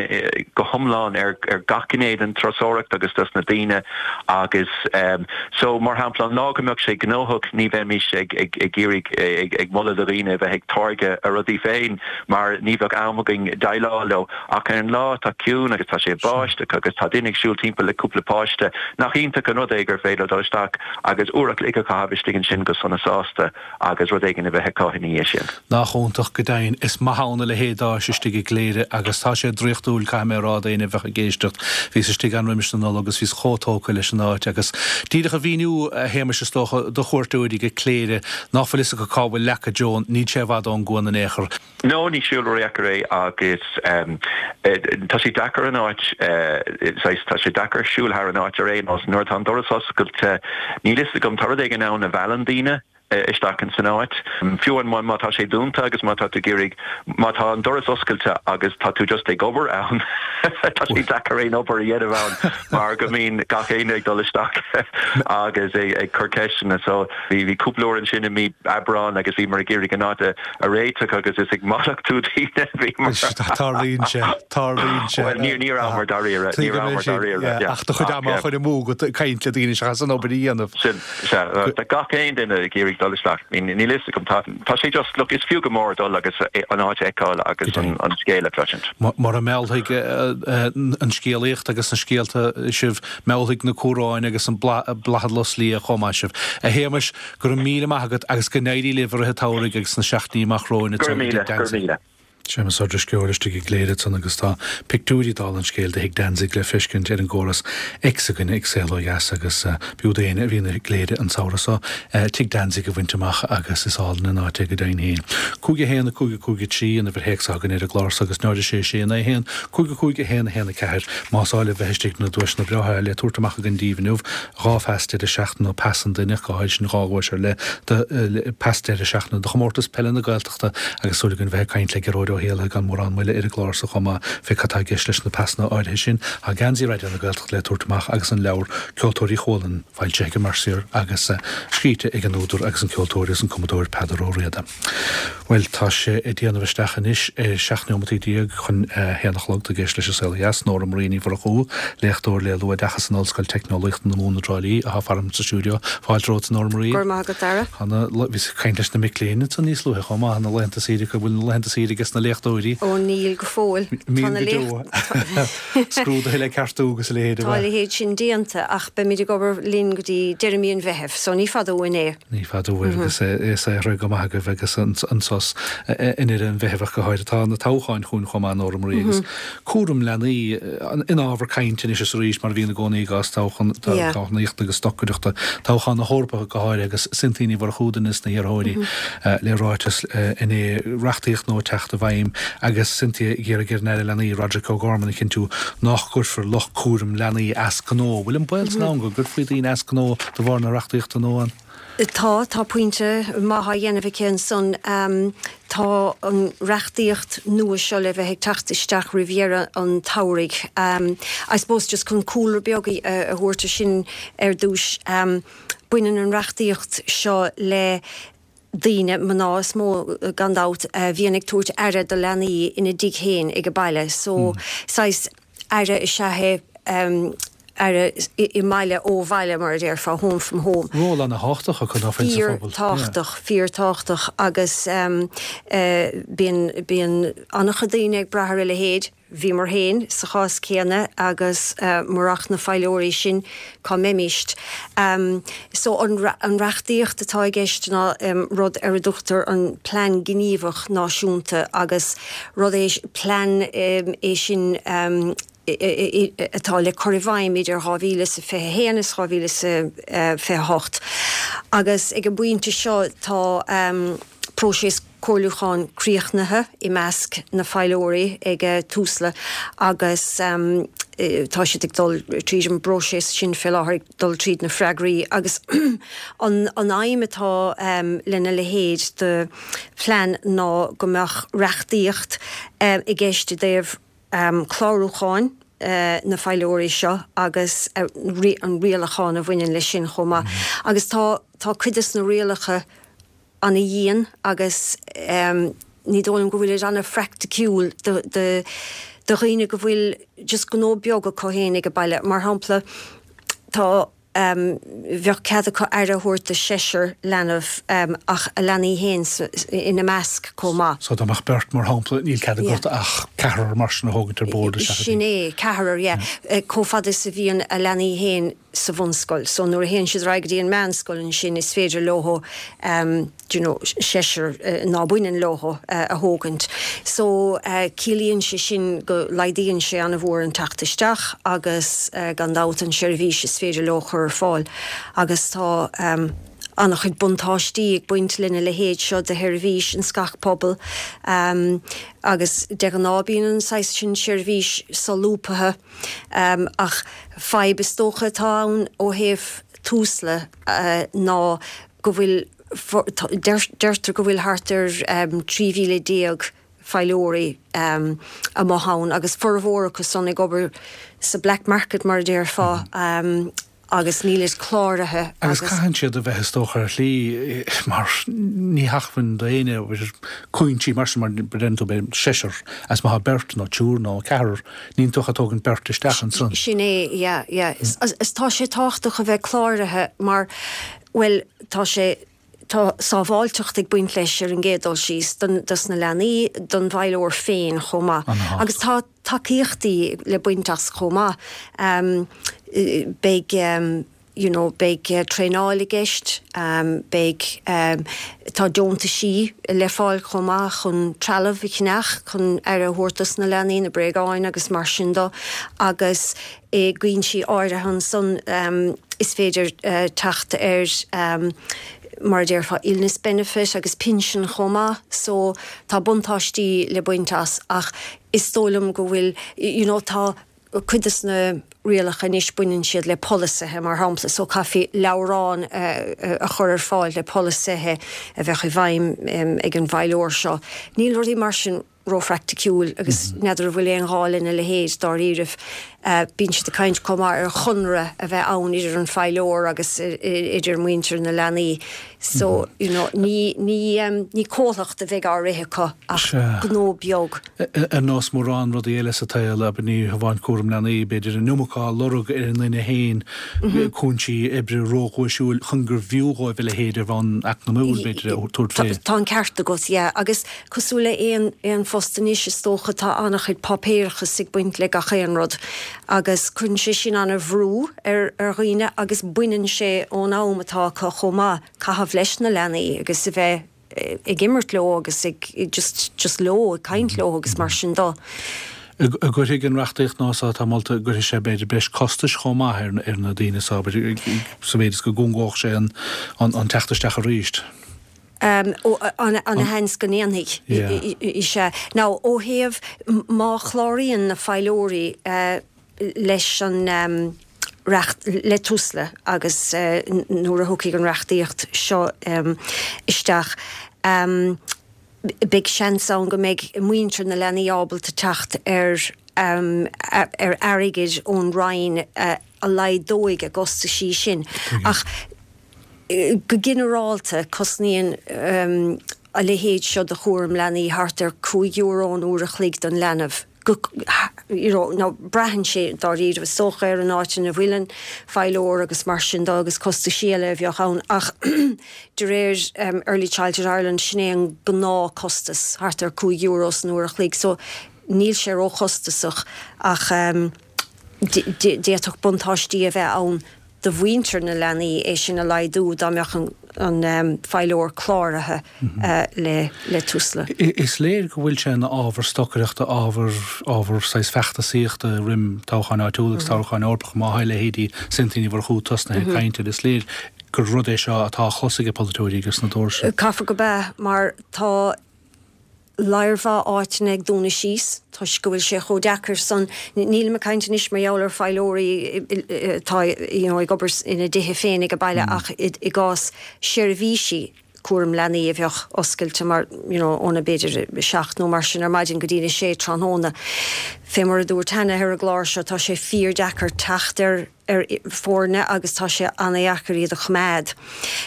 go hiomlán ar ar gach gné den turasóireacht agus dos na daoine agus um, so mar shampla an lá go mbeadh sé gnóthach ní bheimis ag ag ag iarraidh ag, ag moladh do dhaoine bheith ag táirgeadh a rudaí féin mar ní bheadh am againn déileáil leo ach ar an lá tá ciúin agus tá sé báisteach agus tá duine ag siúl timpeall le cúpla páiste nach iontach an rud é gur féidir dul isteach agus uair a chloig a chaitheamh istigh ansin go sona sásta agus rud éigin a bheith acu ina dhiaidh sin. Nach iontach go deimhin is maith ann a leithéid d'áis istigh i gCléire agus tá sé draíochtúil caithfidh mé a rá d'aoinne a bheadh ag éisteacht. Bhíos istigh ann roimis na Nollag agus bhíos chomh tógtha leis an áit agus díreach a mhíniú a Shéamais is dócha do chuairteoirí go Cléire nach bhfuil fhios acu cá bhfuil Leaca Joan, níl sé i bhfad ón gCuan in aon chor. No ní siúl ródheacair é agus um, tá sé deacair an áit uh, tá sé deacair siúl thar an áit ar aon nós nuair atá an doras oscailte níl fhios agam tá rud éigin ann a mheallann daoine isteach in san áit. Fiú an má tá sé dúnta agus má tá tú ag iarraidh má tá an doras oscailte agus tá tú just ag obair ann tá sé deacair aon obair a dhéanamh ann mar go mbíonn gach éinne ag dul isteach agus ag ag cur ceisteanna so bhí bhí cúpla uair ansin i mí Aibreán agus bhí mar ag iarraidh an áit a réiteach agus is ag mallachtú daoine bhí mar Tarlaíonn sé tarlaíonn sé. Well, ní ní rabhamar dáiríre ní rabhamar dáiríre Ach do chuid ama á chur amú ag caint le daoine seachas an obair a dhéanamh. Sin tá gach aon duine ag iarraidh dul isteach. Níl fhios agam tá tá sé just look is fiú go mór dul agus an áit a fheiceáil agus an an scéal a chloisint. Mar a meallfaidh an scéalaíocht agus na scéalta sibh meallfaidh na cumhráin agus an bladhar lus liath chomh maith sibh. A Shéamais go raibh míle maith agat agus go n-éirí libh i rith an tsamhraidh agus na seachtainí amach romhainn Go raibh míle, go raibh míle. Séamus Ó Drisceoil istigh i gCléire ansan agus tá pictiúirí dála an scéil de Thigh Danzig le feiscint ar an gcóras X againn ag Saol Ó Dheas agus b'fhiú d'éinne a bhíonn i gCléire an samhradh seo Tigh Danzig a bhaint amach agus is álainn an áit é go deimhin féin. Cúig a haon a cúig a cúig a trí an uimhir théacs againn ar an gclár so agus náid a sé sé naoi haon cúig a cúig a haon a haon a ceathair más áil libh bheith istigh na duaiseanna breátha le tabhairt amach againn daoibh inniu dhá phas deireadh seachtaine nó pas an duine go háirithe sin dhá dhuais ar leith de pas deireadh seachtaine do chomórtas peile na Gaeltachta agus súil againn bheith ag caint le Gearóid Ó hÉallaithe gan mórán moille ar an gclár so chomh maith fé cad tá i gceist leis na pasanna áirithe sin. Tá geansaí Raidió na Gaeltachta le tabhairt amach agus an leabhar Ceoltóirí Chualann foilsithe ag Mercier agus scríte ag an údar agus an ceoltóir agus an cumadóir Peadar Ó Riada. Bhuel tá sé ag déanamh isteach anois ar seacht neomataí déag chun haon a chlog tá ag éisteacht leis an Saol Ó Dheas, Nóra Marie Ní Mhurchú, léachtóir le luathoideachas in Ollscoil Teicneolaíochta na Mumhan i dTrá Lí atá faram sa stiúideo. Fáilte romhat Nóra Marie. Go raibh maith agat Dara. Bhís ag caint leis na mic léinn ansan níos luaithe chomh maith na laethanta saoire go bhfuil na laethanta saoire aige na léachtóirí. Ó níl go fóill. Tá na Scrúduithe le ceartú agus a leithéid. Tá a leithéid sin déanta ach beimid ag obair linn go dtí deireadh mí an Mheithimh, so ní fada uainn é. Ní fada uaibh agus é saothraithe go maith agaibh agus an sos in idir an Mheithimh ach go háirithe tá na toghcháin chugainn chomh maith Nóra Marie agus cúram leanaí ina ábhar cainte anois is arís mar a bhíonn i gcónaí i gcás toghchán toghchánaíochta agus stocaireachta toghchán na hEorpa go háirithe agus Cynthia Ní Mhurchú duine des na hiarrthóirí le ráiteas inné reachtaíocht nua teacht i bhfeidhm agus Cynthia ag iarraidh ar an Aire Leanaí Roderic O'Gorman a chinntiú nach gcuirfear lucht cúram leanaí as gnó. Bhfuil an baol san ann go gcuirfí daoine as gnó de bharr na reachtaíochta nua? Tá, tá pointe maith á dhéanamh aici ansan. Tá an reachtaíocht nua seo le bheith ag teacht isteach roimh dheireadh an tsamhraidh. I suppose just chun cúlra beag a thabhairt ar sin ar dtús, baineann an reachtaíocht seo le daoine, mná is mó gan dabht, a bhíonn ag tabhairt aire do leanaí ina dtigh féin ag baile. So saghas aire is ea é. aire i mbaile ó bhaile mar a déarfá, home from home. Ról ana-thábhachtach acu ná fuil sa phobal. Fíor-thábhachtach, fíor-thábhachtach agus bíonn, bíonn an-chuid daoine ag brath ar a leithéid, bhíomar féin sa chás céanna agus murach na feighlíoirí sin cá mbeimíst. So an an reachtaíocht atá i gceist ná rud ar a dtugtar an Plean Gníomhach Náisiúnta agus rud é, plean é sin, atá le cur i bhfeidhm idir dhá mhíle is a fiche a haon is dhá mhíle is a fiche a hocht agus ag an bpointe seo tá próiseas comhairliúcháin críochnaithe i measc na feighlíoirí ag Tusla agus tá siad ag dul tríd an bpróiseas sin fé láthair, ag dul tríd na freagraí agus an aidhm atá lena leithéid de phlean ná go mbeadh reachtaíocht i gceist i dtaobh clárúcháin na feighlíoirí seo agus an rialachán a bhaineann leis sin chomh maith. Agus tá tá cuid des na rialacha ana-dhian agus ní dóigh liom go bhfuil siad ana-phraiticiúil do do do dhaoine go bhfuil just gnó beag acu féin ag baile. Mar shampla, tá bheadh cead acu aire a thabhairt do seisear leanbh ach a leanaí féin ina measc chomh maith. So dá mbeadh beirt, mar shampla, níl cead agat ach ceathrar mar sin a thógaint ar bord isteach. Sin é, ceathrar, yeah. Chomh fada is a bhíonn a leanaí féin sa bhunscoil. So nuair a théann siad ar aghaidh go dtí an meánscoil ansin is féidir leo do you know, seisear ná baineann leo a thógaint. So ciallaíonn sé sin go laghdaíonn sé an-mhór an teacht isteach agus gan dabht an seirbhís is féidir leo chur ar fáil. Agus tá an-chuid buntáistí ag baint lena leithéid seo de sheirbhís ins gach pobal agus de ghnáth bíonn an saghas sin seirbhís solúbtha ach fadhb is dócha atá ann ó thaobh Tusla ná go bhfuil deirtear go bhfuil thart ar trí mhíle déag feighlíoirí amuigh ann agus formhór acu san ag obair sa black market mar a déarfá agus níl siad cláraithe. Agus caitheann siad a bheith is dócha ar shlí mar ní hacmhainn d'éinne cúinsí mar sin mar deireann tú b'fhéidir seisear as má tá beirt nó triúr nó ceathrar níl tú ach ag tógaint beirt isteach ansan. Sin é, yeah, yeah. Is tá sé tábhachtach a bheith cláraithe mar, bhuel, tá sé, tá sábháilteacht ag baint leis ar an gcéad dul síos don, dos na leanaí, don bhfeighlíoir féin chomh maith. Agus tá tacaíochtaí le baint as chomh maith. Beidh, you know, beidh traenáil i gceist, beidh, tá deontaisí le fáil chomh maith chun trealamh a cheannach chun aire a thabhairt dos na leanaí, na bréagáin agus mar sin de agus i gcúinsí áirithe ansan is féidir teacht ar mar a déarfá illness benefit agus pinsean chomh maith so tá buntáistí le baint as ach is dóigh liom go bhfuil you know tá cuid des na rialacha anois baineann siad le polasaithe mar shampla so caithfí leabhrán a chur ar fáil le polasaithe a bheadh i bhfeidhm ag an bhfeighlíoir seo. Níl rudaí mar sin róphraiticiúil agus n'fheadar an bhfuil aon ghá lena leithéid dáiríribh. Bíonn siad ag caint chomh maith ar chonradh a bheith ann idir an feighlíoir agus idir muintir na leanaí. So, you know, ní, ní, ní comhlacht a bheidh á rith acu ach gnó beag. Ar nós mórán rudaí eile sa tsaol, abair, ní hamháin cúram leanaí, b'fhéidir an iomarca á lorg ar an nduine féin, cúinsí oibre róghuaisiúil chun gurbh fhiú dhóibh a leithéid ar bhonn eacnamúil, b'fhéidir, a thabhairt fé. Tá an ceart agat, yeah. Agus cosúil le aon, aon phost anois is dócha tá an-chuid páipéarachas ag baint le gach aon rud agus cuireann sé sin an-bhrú ar, ar dhaoine agus baineann sé ón am atá acu chomh maith caitheamh leis na leanaí agus a bheith ag imirt leo agus ag just, just leo, ag caint leo agus mar sin de. An gcuirfidh an reachtaíocht nua so atá molta, an gcuirfidh sé b'fhéidir breis costais chomh maith ar, ar na daoine so, b'fhéidir, sa mhéid is go gcúngódh sé an, an, an teacht isteach arís? Ana-sheans go ndéanfaidh, is ea. Now, ó thaobh, má chláraíonn na feighlíoirí leis an reacht le Tusla agus uh, nuair a thiocfaidh an reachtaíocht seo um, isteach um, beidh seans ann go mbeidh muintir na leanaí ábalta teacht ar um, ar airgead ón Roinn uh, a laghdóidh a gcostaisí sin. Ach go ginearálta cosnaíonn um, a leithéid seo de chúram leanaí thart ar cúig euro an uair a chloig don leanbh. Go, you know, nó braitheann sé dáiríre is dócha ar an áit ina bhfuil an feilóir agus mar sin de agus costaisí eile a bheadh ann ach de réir um, Early Childhood Ireland sin é an gnáthchostas thart ar cúig euro san uair a chloig, so níl sé róchostasach ach um, d'fhéadfadh buntáistí a bheith ann do mhuintir na leanaí é sin a laghdú dá mbeadh an, an um, feilóir cláraithe mm -hmm. uh, le, le Tusla. Is léir go bhfuil sé ina ábhar stocaireachta ábhar ábhar saghas feachtasaíochta roimh toghcháin áitiúil agus toghcháin Eorpach má tá leithéidí Cynthia Ní Mhurchú tosnaithe ag caint is léir gur rud é seo atá á chlos ag polaiteoirí agus na dóirse. Caithfidh gurb ea mar tá lear mhaith áiteanna ag dúnadh síos toisc go bhfuil sé chomh deacair san nílim ag caint anois mar gheall ar feilóirí atá you know, ag obair ina dtithe féin ag baile mm. ach i, i gcás seirbhísí cúram leanaí a bheadh oscailte mar you know, óna b'fhéidir seacht nó mar sin ar maidin go dtí a sé tráthnóna. Fé mar a dúirt cheana ar an gclár seo tá sé fíordheacair teacht ar ar foirne agus tá sé an-deacair iad a choimeád.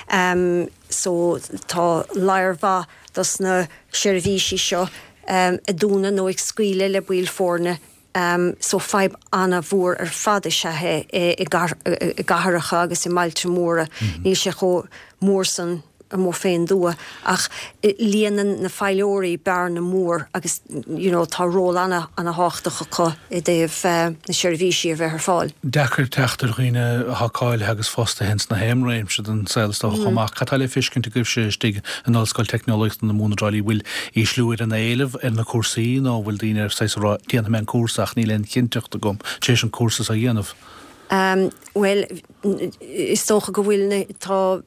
Um, so tá lear mhaith dos na seirbhísí seo um, ag dúnadh nó ag scaoileadh le baill foirne um, so fadhb an-mhór ar fad is ea é i gcathracha agus i mbailte móra. Mm -hmm. Níl sé chomh mór san amuigh fén dtuath ach líonann na feilóirí bearna mór agus you know, tá ról ana ana-thábhachtach acu i dtaobh uh, na seirbhísí a bheith ar fáil. Deacair teacht ar dhaoine atá cáilithe agus fostaithe ins na haon réimse den saol is dócha chomh maith. Cad tá le feiscint agaibhse istigh in Ollscoil Teicneolaíochta na Mumhan i dTrá Lí bhfuil ísliú ar an éileamh ar na cúrsaí nó bhfuil daoine ar saghas ag rá déanfaidh mé an cúrsa ach níl aon chinnteacht agam tar éis an cúrsa a dhéanamh. Um, well, is dócha go bhfuil tá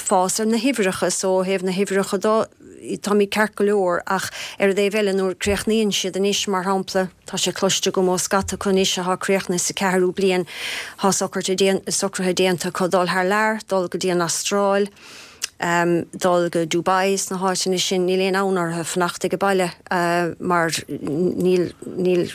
fás ar na huimhreacha so ó thaobh na huimhreacha de táimid ceart go leor ach ar an dtaobh eile nuair críochnaíonn siad anois mar shampla tá sé cloiste agam ó scata acu anois atá críochnaithe sa ceathrú bliain tá socruithe déanta acu dul thar lear, dul go dtí an Astráil. Um, dul go Dubai sna háiteanna sin níl aon fhonn orthu fanacht ag baile uh, mar níl níl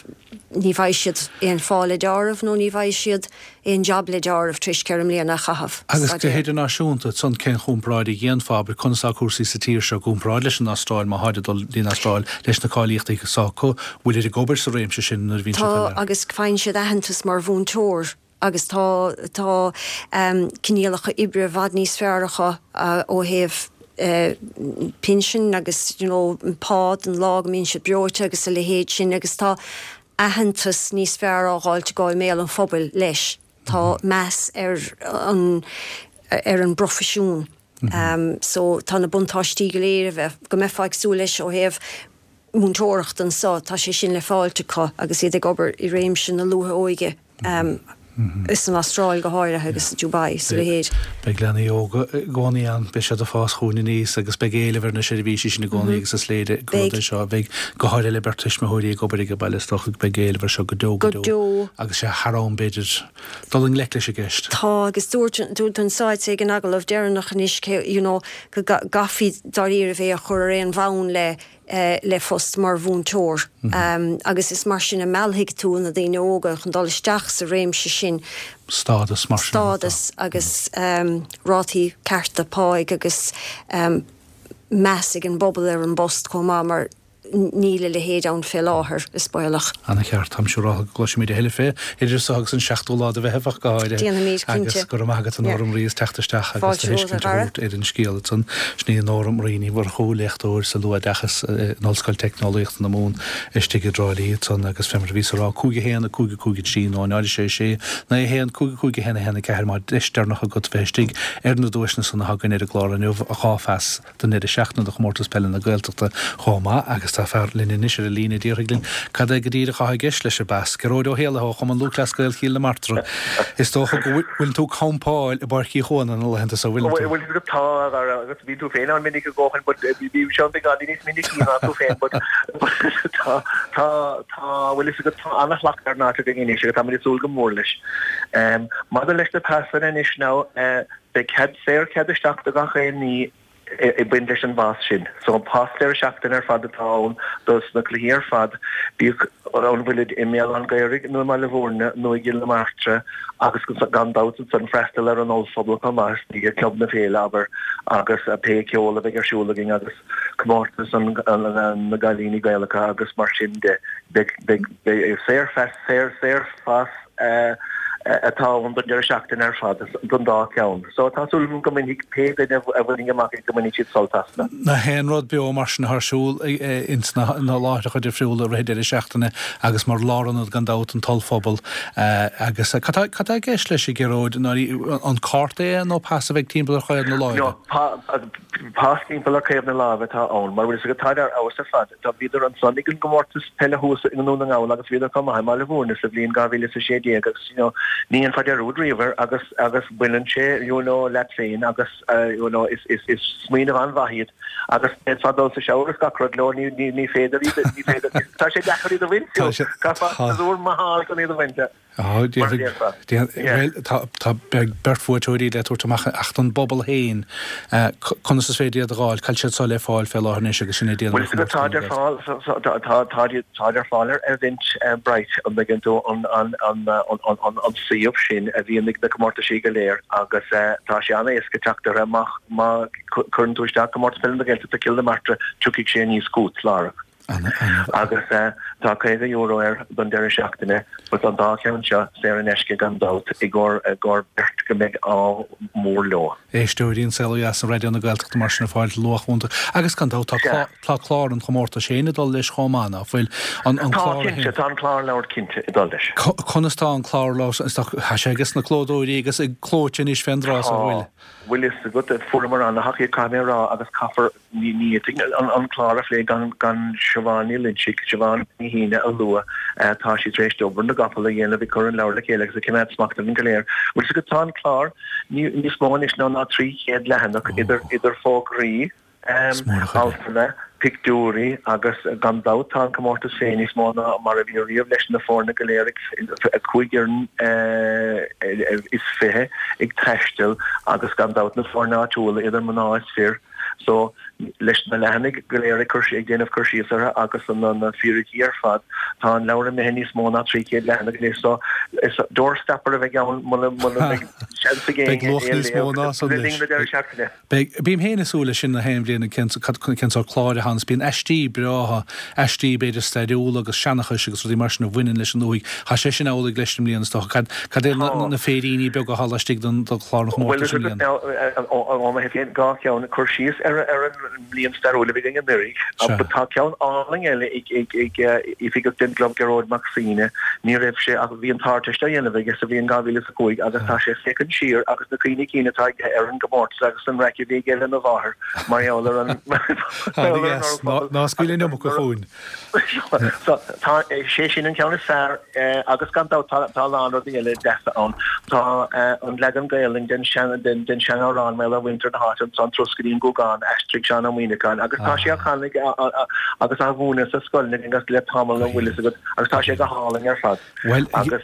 ní bheidh siad aon phá le deáramh nó ní bheidh siad aon job le deáramh tar éis ceithre mbliana a chaitheamh. Agus go hidirnáisiúnta san cén chomparáid a dhéanfá conas atá cúrsaí sa tír seo i gcomparáid leis an Astráil má tháid dul dtí'n Astráil leis na cáilíochtaí s'acu bhfuil ag obair sa réimse sin nuair a bhíonn Tá agus faigheann siad aitheantas mar mhúinteoir agus tá tá um, coinníollacha oibre i bhfad níos fearr acu uh, ó thaobh uh, pinsin agus you know, pá an lá go mbíonn siad breoite agus a leithéid sin agus tá aitheantas níos fearr á fháilt go i mbéal an phobail leis. Tá mhm. meas ar an ar an bproifisiún. Mm -hmm. um, so tá na buntáistí go léir bheith go mbeifeá ag súil leis ó thaobh múinteoireacht anseo tá sé sin le fáilt acu agus iad ag obair i réimse na luath-óige. Um, Is san Astráil go háirithe agus Dubai sa leithéid. Beidh leanaí óga i gcónaí ann, beidh siad ag fás chugainn aníos agus beidh éileamh ar na seirbhísí sin i gcónaí agus is léir go rud é seo beidh go háirithe le beirt tuismitheoirí ag obair ag baile is dócha beidh éileamh air seo go deo go deo agus sé thar am b'fhéidir dul i ngleic leis an gceist. Tá agus dúirt dúirt an sáit ag an agallamh deireanach anois you know go gcaithfí dáiríre é a chur ar aon bhonn le le phost mar mhúinteoir. Mm -hmm. um, agus is mar sin a mheallfaidh tú na daoine óga chun dul isteach sa réimse sin. Stádas mar sin. Stádas agus um, rátaí cearta páigh agus um, meas ag an bpobal ar an bpost chomh maith mar níl a leithéid ann fé láthair is baolach. Ana cheart táim siúráilte go gcloisfimid a thuilleadh fé idir seo agus an seachtú lá de Mheitheamh ach go háirithe. Déanfaimid, cinnte. Agus go raibh maith agat a Nóra Marie as teacht isteach agus do thuiscint a thabhairt ar an scéal ansan. Sin í Nóra Marie Ní Mhurchú, léachtóir sa luathoideachas in Ollscoil Teicneolaíochta na Mumhan istigh i dTrá Lí ansan agus fé mar a bhíos a rá cúig a haon a cúig a cúig a trí nó náid a sé sé naoi a haon cúig a cúig a haon a haon a ceathair má deis deireanach agat bheith istigh ar na duaiseanna san atá againn ar an gclár inniu, dhá phas don deireadh seachtaine do Chomórtas Peile na Gaeltachta chomh maith agus tá fear linn anois ar an líne a déarfaidh linn cad é go díreach atá i gceist leis an bpas. Gearóid Ó hÉallaithe ó Chumann Lúthchleas Gael Chill na Martra. Is dócha go bhfuil tú ag campáil i bPáirc Uí Chuana na laethanta seo, bhfuil tú? Bhuel, tá, agus bhí tú féin ann minic a dhóthain, but bhí Seán beagáinín níos minicí ná tú féin, but tá, tá, tá, bhfuil fhios agat, tá an-shlacht ar an áit againn anois agus táimid ag súil go mór leis. Maidir leis na pasanna anois now, beidh cead, saor cead isteach do gach aon ní ag baint leis an bpas sin. So an pas deireadh seachtaine ar fad atá ann dos na cluichí ar fad, bíodh an bhfuilid i mBéal Átha an Ghaorthaidh nó i mBaile Bhúirne nó i gCill na Martra agus gan dabht ansan freastal ar an ollphuball chomh maith istigh i gClub na Féile, abair, agus pé ceol a bheidh ar siúl againn agus comórtas na gcailíní Gaelacha agus mar sin de. Beidh, beidh, beidh saor, saor, saorphas atá ann don deireadh seachtaine ar fad, don dá cheann. So tá súil agam go mbainfidh pé duine a bhainfidh amach é go mbainfidh siad sult as. Na haon rud beo mar sin ar siúl ins na láithreacha difriúla i rith deireadh seachtaine agus mar lárionad gan dabht an t-ollphuball agus cad tá i gceist leis a Ghearóid, an cárta é nó pas a bheidh timpeall ar chaobh na láimhe? No, pas timpeall ar chaobh na láimhe atá ann mar bhfuil fhios agat táid ar fheabhas ar fad. Tá bhíodar ansan ag an gcomórtas peile thuas i nDún na nGall agus bhíodar chomh maith i mBaile Bhúirne sa bhliain dhá mhíle is a sé déag agus you know ní dhéanfá dearúd riamh air agus agus baineann sé you know leat féin agus you know is is is smaoineamh an-mhaith iad agus d'fhéadfá dul sa shower is gach rud leo ní ní ní féidir iad ní féidir tá sé deacair iad a bhaint fiú caithfeá casúr maith a fháil chun iad a bhaint. Bhuel, tá beirt bhuaiteoirí le tabhairt amach ach don bpobal féin, conas is féidir iad a dh'fháil? Cá bhfuil siad seo le fáil fé láthair anois agus sin é déanamh Bhuel, táid ar fáil, táid ar fáil ar Eventbrite, an dtuigeann tú, an suíomh sin a bhíonn ag na comórtaisí go léir agus tá sé an-éasca teacht orthu má chuireann tú isteach Comórtas Peile na Gaeltachta Cill na Martra, tiocfaidh sé aníos chugat láithreach. Agus tá caoga euro air don deireadh seachtaine, but an dá cheann seo saor in aisce gan dabht i gcomhair beirt go mbeidh ádh mór leo. Éisteoirí An Saol Ó Dheas ar Raidió na Gaeltachta mar sin ag fáil luach iontach. Agus gan dabht tá tá clár an chomórtais féin ag dul leis chomh maith, ná fuil? An Tá, clár cinnte, tá an clárleabhar cinnte ag dul leis. Conas tá an clárleabhar, tá sé ages na clódóirí agus ag clóite anois fén dtráth so bhfuil? Bhfuil fhios agat, fuaireamar an-thacaíocht caithfidh mé a rá agus caithfear Ní fhéadfainn an clár a phlé gan Siobhán Ní Loinsigh, Siobhán Ní hAoine a lua. Tá sí tar éis obair na gcapall a dhéanamh ag cur an leabhair le chéile agus ag coimeád smacht orainn go léir. Bhfuil fhios agat, tá an clár níos mó anois ná ná trí chéad leathanach idir fógraí, altanna, pictiúirí agus gan dabht tá an comórtas féin níos mó ná mar a bhí riamh leis na foirne go léir ag cúig fhoireann is fiche ag taisteal agus gan dabht na foirne áitiúla idir mná is fir. So, leis na leathanaigh go léir ag cur, ag déanamh cur síos orthu agus na na fíricí ar fad, tá an leabhar imithe níos mó ná trí chéad leathanach anois. So, is doorstopper a bheidh ann muna muna mbeidh seans ag Beidh éinne luach é a níos mó léamh ná san le linn anois. na deireadh seachtaine. Beidh, bím féin ag súil leis sin na haon bhliain cén cén sórt cláir a thaganns. Bíonn aistí breátha, aistí b'fhéidir stairiúla agus seanchais agus rudaí mar sin a bhaineann leis an ndúthaigh. Tá sé sin amhlaidh leis i mbliana is dócha. Cad cad é na Tá. na féiríní beaga atá laistigh den den chlár an Bhuel, chomórtais i mbliana? ó mo thaobh féin, dhá cheann, cur síos ar an mbliain stairiúil a bhí againn anuraidh, Sea. Tá ceann álainn eile ag oifigeach den gclub, Gearóid Mac Suibhne. Ní raibh sé ach bhí an tArdteist á dhéanamh aige sa bhliain dhá mhíle is a cúig agus tá sé ag féachaint siar agus na cuimhní cinn atá aige ar an gcomórtas agus an raic a bhí aige lena mháthair mar gheall ar an Ana-dheas. Ná scaoil an iomarca chugainn. So, tá, sé sin an ceann is fearr agus gan dabht tá tá a lán rudaí eile deasa ann. Tá an leagan Gaelainn den sean den den seanamhrán mar gheall ar mhuintir na háite ansan, Turas go dtí an Gúgán, aistrigh Seán Ó Muíneacháin agus tá sé á chanadh agus á mhúineadh sa scoil agus le tamall an bhfuil fhios agat agus tá sé go hálainn ar fad. Bhuel, Agus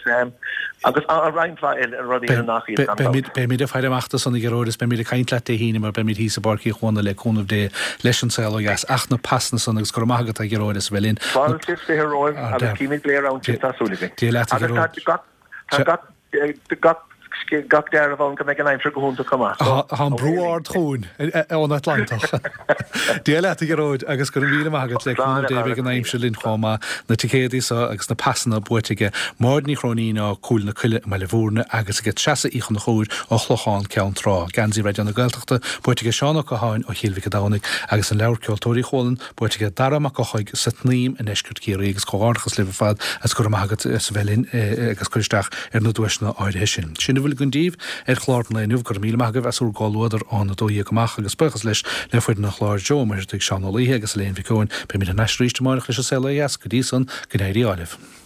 agus roinnt mhaith eile rudaí eile nach iad gan dabht. Beimid ag faire amach dó san a Ghearóid is beimid ag caint leat Dé hAoine mar beimid thíos i bPáirc Uí Chuana le cúnamh Dé leis an saol ó dheas ach na pasanna san agus go raibh maith agat a Ghearóid as a bheith linn. Fáilte is fiche romhaibh agus címid go léir ann sibh tá súil againn. Dia leat a Agus Ghearóid. tá gach tá gach gach gach dealramh ann go mbeidh an aimsir go hiontach chomh maith. Tá an brú ard chugainn ón Atlantach. Dia leat a Ghearóid agus go raibh míle maith agat le cúnamh Dé beidh an aimsir linn chomh maith. Na ticéadaí seo agus na pasanna buaite aige Máire Ní Chróinín ó Cúil na Coille i mBaile Bhúirne agus aige Treasa Uí Chonchúir ó Chlochán Ceann Trá. Geansaí Raidió na Gaeltachta buaite aige Seán Ó Catháin ó Chill Mhic an Domhnaigh agus an leabhar Ceoltóirí Chualann buaite aige Dara Mac Eochaidh sa tSnaidhm i ndeisceart Chiarraí agus comhghairdeachas libh ar fad agus go raibh maith agat as a bheith linn agus cur isteach ar na duaiseanna áirithe sin. Sin a bhfuil a bhfuil againn daoibh ar chlár an lae inniu. Go raibh míle maith agaibh as bhur gcomhluadar ón a dó dhéag amach agus buíochas leis le foireann an chláir, Joe Ó Muircheartaigh, Seán Ó Laoithe agus Elaine Mhic Eoin. Beimid thar n-ais arís amárach leis an Saol Ó Dheas. Go dtí san, go n-éirí ádh libh.